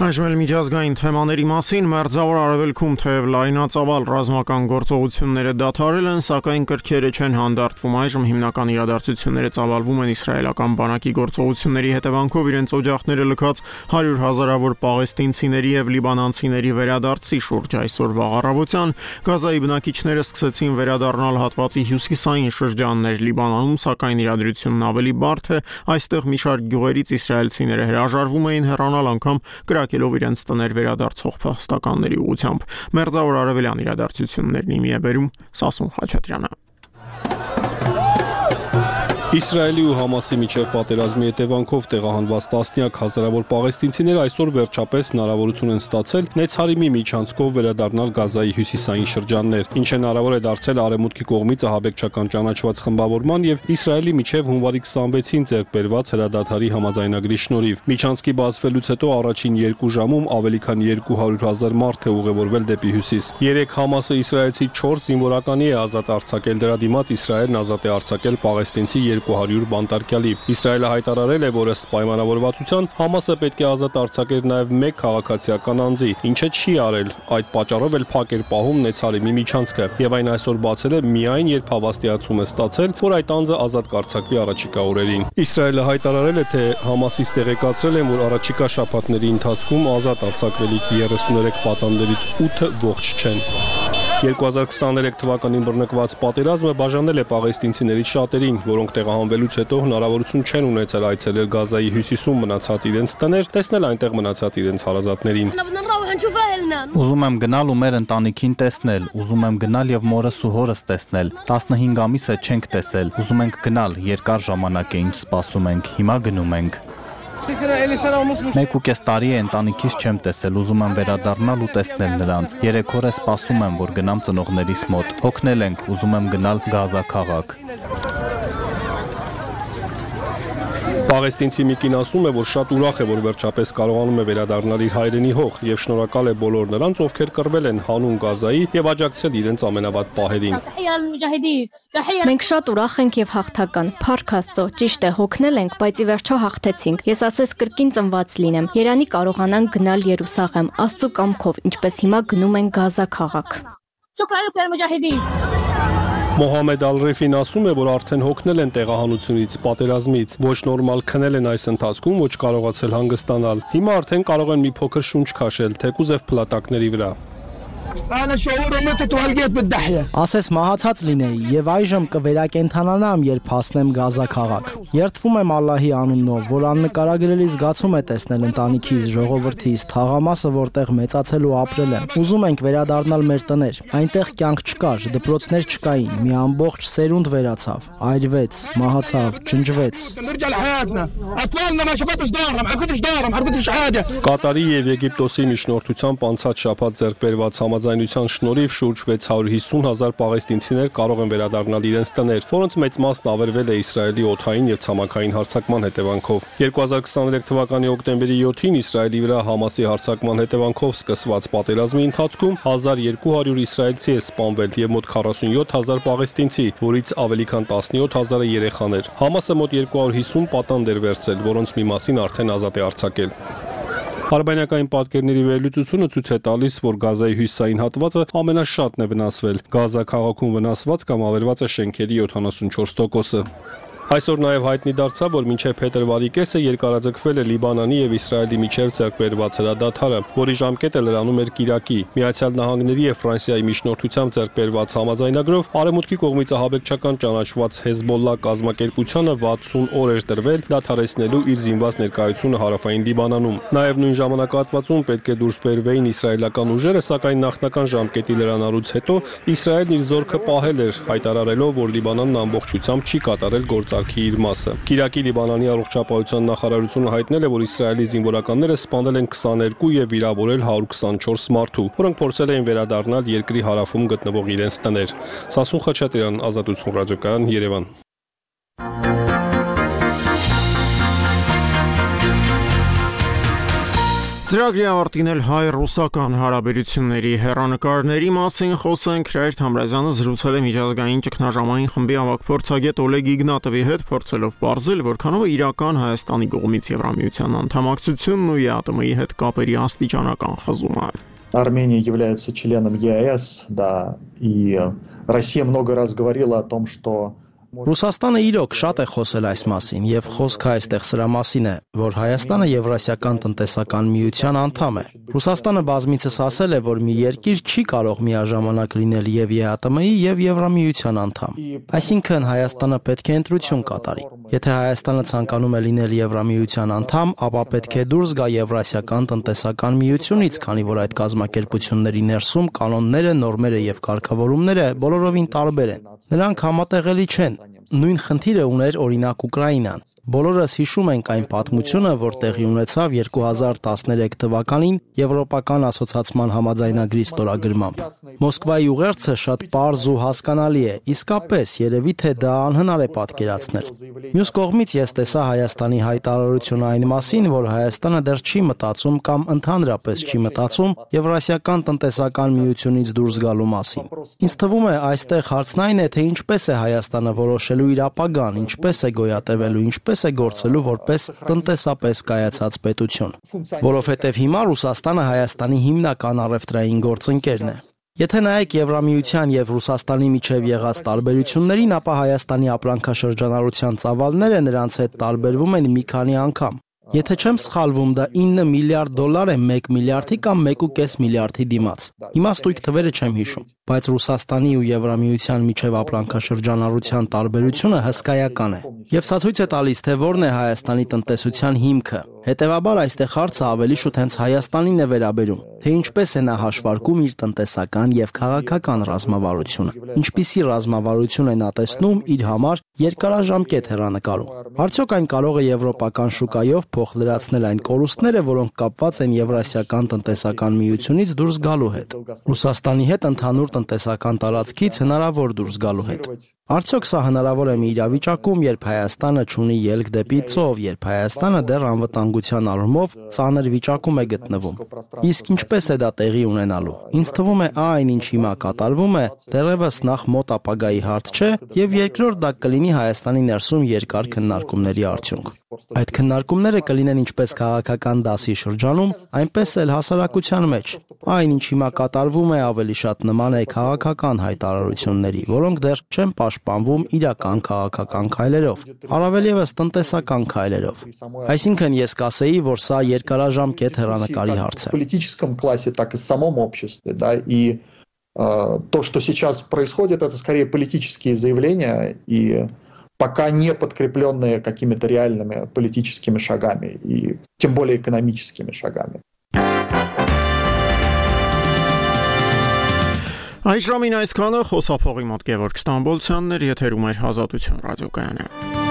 Այժմ միջազգային թեմաների մասին Մերձավոր Արևելքում թեև լայնածավալ ռազմական գործողությունները դադարել են, սակայն կրքերը չեն հանդարտվում։ Այժմ հիմնական իրադարձությունները ծավալվում են իսրայելական բանակի գործողությունների հետևանքով իրենց օջախները լքած հարյուր հազարավոր պաղեստինցիների եւ լիբանանցիների վերադարձի շուրջ այսօրվա առավոտյան Գազայի բնակիչները սկսեցին վերադառնալ հատվածի հյուսիսային շրջաններ Լիբանանում, սակայն իրադրությունն ավելի բարդ է։ Այստեղ մի շարք գյուղերից իսրայելցիները հրաժարվում էին հեռանալ անգամ կրակելով իրենց տներ վերադարձող փախստականների ուղությամբ։ Մերձավոր արևելյան իրադարձություններն իմի է բերում Սասուն Խաչատրյանը։ Իսրայելի ու Համասի միջև պատերազմի հետևանքով տեղահանված տասնյակ հազարավոր պաղեստինցիներ այսօր վերջապես հնարավորություն են ստացել Նեցարիմի միջանցքով վերադառնալ Գազայի հյուսիսային շրջաններ, ինչը հնարավոր է դարձել արևմուտքի կողմից ահաբեկչական ճանաչված խմբավորման եւ Իսրայելի միջև հունվարի քսանվեցին ձեռք բերված հրադադարի համաձայնագրի շնորհիվ։ Միջանցքի բացվելուց հետո առաջին երկու ժամում ավելի քան երկու հարյուր հազար մարդ է ուղևորվել դեպի հյուսիս։ Երեք Համասը իսրայելցի չորս զինվորականի է ազատ արձակել, դրա դիմաց Իսրայելն ազատ է արձակել պաղեստինցի երկու հարյուր բանտարկյալի։ Իսրայելը հայտարարել է, որ ըստ պայմանավորվածության Համասը պետք է ազատ արձակեր նաև մեկ քաղաքացիական անձի, ինչը չի արել։ Այդ պատճառով էլ փակ էր պահում Նեցարիմի միջանցքը, եւ այն այսօր բացել է միայն երբ հավաստիացում է ստացել, որ այդ անձը ազատ կարձակվի առաջիկա օրերին։ Իսրայելը հայտարարել է, թե Համասից տեղեկացրել են, որ առաջիկա շաբաթների ընթացքում ազատ արձակվելիք երեսուներեք պատանդներից ութը ողջ չեն։ երկու հազար քսաներեք թվականին բռնկված պատերազմը բաժանել է պաղեստինցիներից շատերին, որոնք տեղահանվելուց հետո հնարավորություն չեն ունեցել այցելել Գազայի հյուսիսում մնացած իրենց տներ, տեսնել այնտեղ մնացած իրենց հարազատներին։ Ուզում եմ գնալ ու մեր ընտանիքին տեսնել, ուզում եմ գնալ եւ մորս ու հորս տեսնել։ տասնհինգ ամիս է չենք տեսել։ Ուզում ենք գնալ, երկար ժամանակ է ինչ սպասում ենք, հիմա գնում ենք։ Մեկ ու կես տարի է ընտանիքից չեմ տեսել, ուզում եմ վերադառնալ ու տեսնել նրանց։ Երեք օր է սպասում եմ, որ գնամ ծնողներիս մոտ։ Հոգնել ենք, ուզում եմ գնալ Գազա քաղաք։ Պաղեստինցի մի կին ասում է, որ շատ ուրախ է, որ վերջապես կարողանում է վերադառնալ իր հայրենի հող եւ շնորհակալ է բոլոր նրանց, ովքեր կռվել են հանուն Գազայի եւ աջակցել իրենց ամենավատ պահերին։ Մենք շատ ուրախ ենք եւ հաղթական։ Փառք Աստծո, ճիշտ է, հոգնել ենք, բայց ի վերջո հաղթեցինք։ Ես ասես կրկին ծնված լինեմ։ Երանի կարողանանք գնալ Երուսաղեմ, Աստծո կամքով, ինչպես հիմա գնում ենք Գազա քաղաք։ Մոհամեդ Ալ-Ռեֆին ասում է, որ արդեն հոգնել են տեղահանությունից, պատերազմից, ոչ նորմալ քնել են այս ընթացքում, ոչ կարողացել հանգստանալ։ Հիմա արդեն կարող են մի փոքր շունչ քաշել, թեկուզ եւ փլատակների վրա։ Ասես մահացած լինեի եւ այժմ կվերակենդանանամ, երբ հասնեմ Գազա քաղաք։ Երդվում եմ Ալլահի անունով, որ աննկարագրելի զգացում է տեսնել ընտանիքիս, ժողովրդիս, թաղամասը, որտեղ մեծացել ու ապրել եմ։ Ուզում ենք վերադառնալ մեր տներ։ Այնտեղ կյանք չկար, դպրոցներ չկային, մի ամբողջ սերունդ վերացավ, այրվեց, մահացավ, ջնջվեց։ Կատարի եւ Եգիպտոսի միջնորդությամբ անցած շաբաթ ձեռք բերված համաձայնության շնորհիվ շուրջ վեց հարյուր հիսուն հազար պաղեստինցիներ կարող են վերադառնալ իրենց տներ, որոնց մեծ մասն ավերվել է Իսրայելի օդային եւ ցամաքային հարձակման հետևանքով։ երկու հազար քսաներեք թվականի հոկտեմբերի յոթին Իսրայելի վրա Համասի հարձակման հետևանքով սկսված պատերազմի ընթացքում հազար երկու հարյուր իսրայելցի է սպանվել եւ մոտ քառասունյոթ հազար պաղեստինցի, որից ավելի քան տասնյոթ հազարը երեխաներ։ Համասը մոտ երկու հարյուր հիսուն պատանդ էր վերցրել, որոնց մի մասին արդեն ազատ է արձակել։ Արբանյակային պատկերների վերլուծությունը ցույց է տալիս, որ Գազայի հյուսիսային հատվածը ամենաշատն է վնասվել։ Գազա քաղաքում վնասված կամ ավերված է շենքերի յոթանասունչորս տոկոսը։ Այսօր նաև հայտնի դարձավ, որ մինչև փետրվարի կեսը երկարաձգվել է Լիբանանի եւ Իսրայելի միջև ձեռք բերված հրադադարը, որի ժամկետը լրանում էր կիրակի։ Միացյալ Նահանգների եւ Ֆրանսիայի միջնորդությամբ ձեռք բերված համաձայնագրով Արևմուտքի կողմից ահաբեկչական ճանաչված Հեզբոլլա կազմակերպությանը վաթսուն օր էր տրվել դադարեցնելու իր զինված ներկայությունը հարավային Լիբանանում։ Նաև նույն ժամանակահատվածում պետք է դուրս բերվեին իսրայելական ուժերը, սակայն նախնական ժամկետի լրանալուց հետո Իսրայելն իր զորքը պահել էր, հայտարարելով, որ Լիբանանն ամբողջությամբ չի կատարել գործարքի իր մասը։ Կիրակի Լիբանանի առողջապահության նախարարությունը հայտնել է, որ Իսրայելի զինվորականները սպանել են քսաներկու եւ վիրավորել հարյուր քսանչորս մարդու, որոնք փորձել էին վերադառնալ երկրի հարավում գտնվող իրենց տներ։ Սասուն Խաչատրյան, Ազատություն ռադիոկայան, Երևան։ Ծրագրի ավարտին էլ հայ-ռուսական հարաբերությունների հեռանկարների մասին խոսենք։ Հրայր Թամրազյանը զրուցել է միջազգային ճգնաժամային խմբի ավագ փորձագետ Օլեգ Իգնատովի հետ, փորձելով պարզել, որքանով է իրական Հայաստանի կողմից Եվրամիության անդամակցությունն ու ԵԱՏՄ-ի հետ կապերի աստիճանական խզումը։ Армения является членом ЕАЭС, да, и Россия много раз говорила о том, что Ռուսաստանը իրոք շատ է խոսել այս մասին եւ խոսքը այստեղ սրա մասին է, որ Հայաստանը Եվրասիական տնտեսական միության անդամ է։ Ռուսաստանը բազմիցս ասել է, որ մի երկիր չի կարող միաժամանակ լինել եւ ԵԱՏՄ-ի եւ Եվրամիության անդամ։ Այսինքն Հայաստանը պետք է ընտրություն կատարի։ Եթե Հայաստանը ցանկանում է լինել Եվրամիության անդամ, ապա պետք է դուրս գա Եվրասիական տնտեսական միությունից, քանի որ այդ կազմակերպությունների ներսում կանոնները, նորմերը եւ կարգավորումները բոլորովին տարբեր են։ Նրանք համատեղելի չեն։ Նույն խնդիրը ուներ օրինակ Ուկրաինան։ Բոլորս հիշում ենք այն պատմությունը, որ տեղի ունեցավ երկու հազար տասներեք թվականին Եվրոպական ասոցիացիան համաձայնագրի ստորագրմամբ։ Մոսկվայի ուղերձը շատ պարզ ու հասկանալի է, իսկապես երևի թե դա անհնար է պատկերացնել։ Մյուս կողմից ես տեսա Հայաստանի հայտարարությունը այն մասին, որ Հայաստանը դեռ չի մտածում կամ ընդհանրապես չի մտածում Եվրասիական տնտեսական միությունից դուրս գալու մասին։ Ինձ թվում է այստեղ հարցն այն է, թե ինչպես է Հայաստանը որոշելու իր ապագան, ինչպես է գոյատևելու, ինչպես է գործելու որպես տնտեսապես կայացած պետություն, որովհետև հիմա Ռուսաստանը Հայաստանի հիմնական առևտրային գործընկերն է։ Եթե նայեք Եվրամիության եւ Ռուսաստանի միջև եղած տարբերություններին, ապա Հայաստանի ապրանքաշրջանառության ծավալները նրանց հետ տարբերվում են մի քանի անգամ։ Եթե չեմ սխալվում, դա ինը միլիարդ դոլար է մեկ միլիարդի կամ մեկ ու կես միլիարդի դիմաց։ Իմաստույթ թվերը չեմ հիշում։ բայց Ռուսաստանի ու Եվրամիության միջև ապրանքաշրջանառության տարբերությունը հսկայական է։ Եվ սա ցույց է տալիս, թե որն է Հայաստանի տնտեսության հիմքը։ Հետևաբար այստեղ հարցը ավելի շուտ հենց Հայաստանին է վերաբերում, թե ինչպես է նա հաշվարկում իր տնտեսական եւ քաղաքական ռազմավարությունը, ինչպիսի ռազմավարություն է նա տեսնում իր համար երկարաժամկետ հեռանկարում։ Արդյոք այն կարող է եվրոպական շուկայով փոխլրացնել այն կորուստները, որոնք կապված են Եվրասիական տնտեսական միությունից դուրս գալու հետ, Ռուսաստանի հետ ընդհանուր տնտեսական տարածքից հնարավոր դուրս գալու հետ։ Արդյոք սա հնարավոր է մի իրավիճակում, երբ Հայաստանը չունի ելք դեպի ծով, երբ Հայաստանը դեռ անվտանգության առումով ծանր վիճակում է գտնվում։ Իսկ ինչպես է դա տեղի ունենալու։ Ինձ թվում է այն, ինչ հիմա կատարվում է, դեռևս նախ մոտ ապագայի հարց չէ, եւ երկրորդ դա կլինի Հայաստանի ներսում երկար քննարկումների արդյունք։ Այդ քննարկումները կլինեն ինչպես քաղաքական դասի շրջանում, այնպես էլ հասարակության մեջ։ Այն, ինչ հիմա կատարվում է, ավելի շատ նման է քաղաքական հայտարարությունների, որոնք դեռ չեն պաշտպանվում իրական քաղաքական քայլերով, առավել ևս տնտեսական քայլերով։ Այսինքն ես կասեի, որ սա երկարաժամկետ հեռանկարի հարց է։ Политическом классе, так и в самом обществе, да, и э, то, что сейчас происходит, это скорее политические заявления и пока не подкрепленные какими-то реальными политическими шагами и тем более экономическими шагами. Այժմին այսքանը խոսափողի մոտ Գևորգ Ստամբոլցյանն էր, եթերում էր Ազատություն ռադիոկայանը։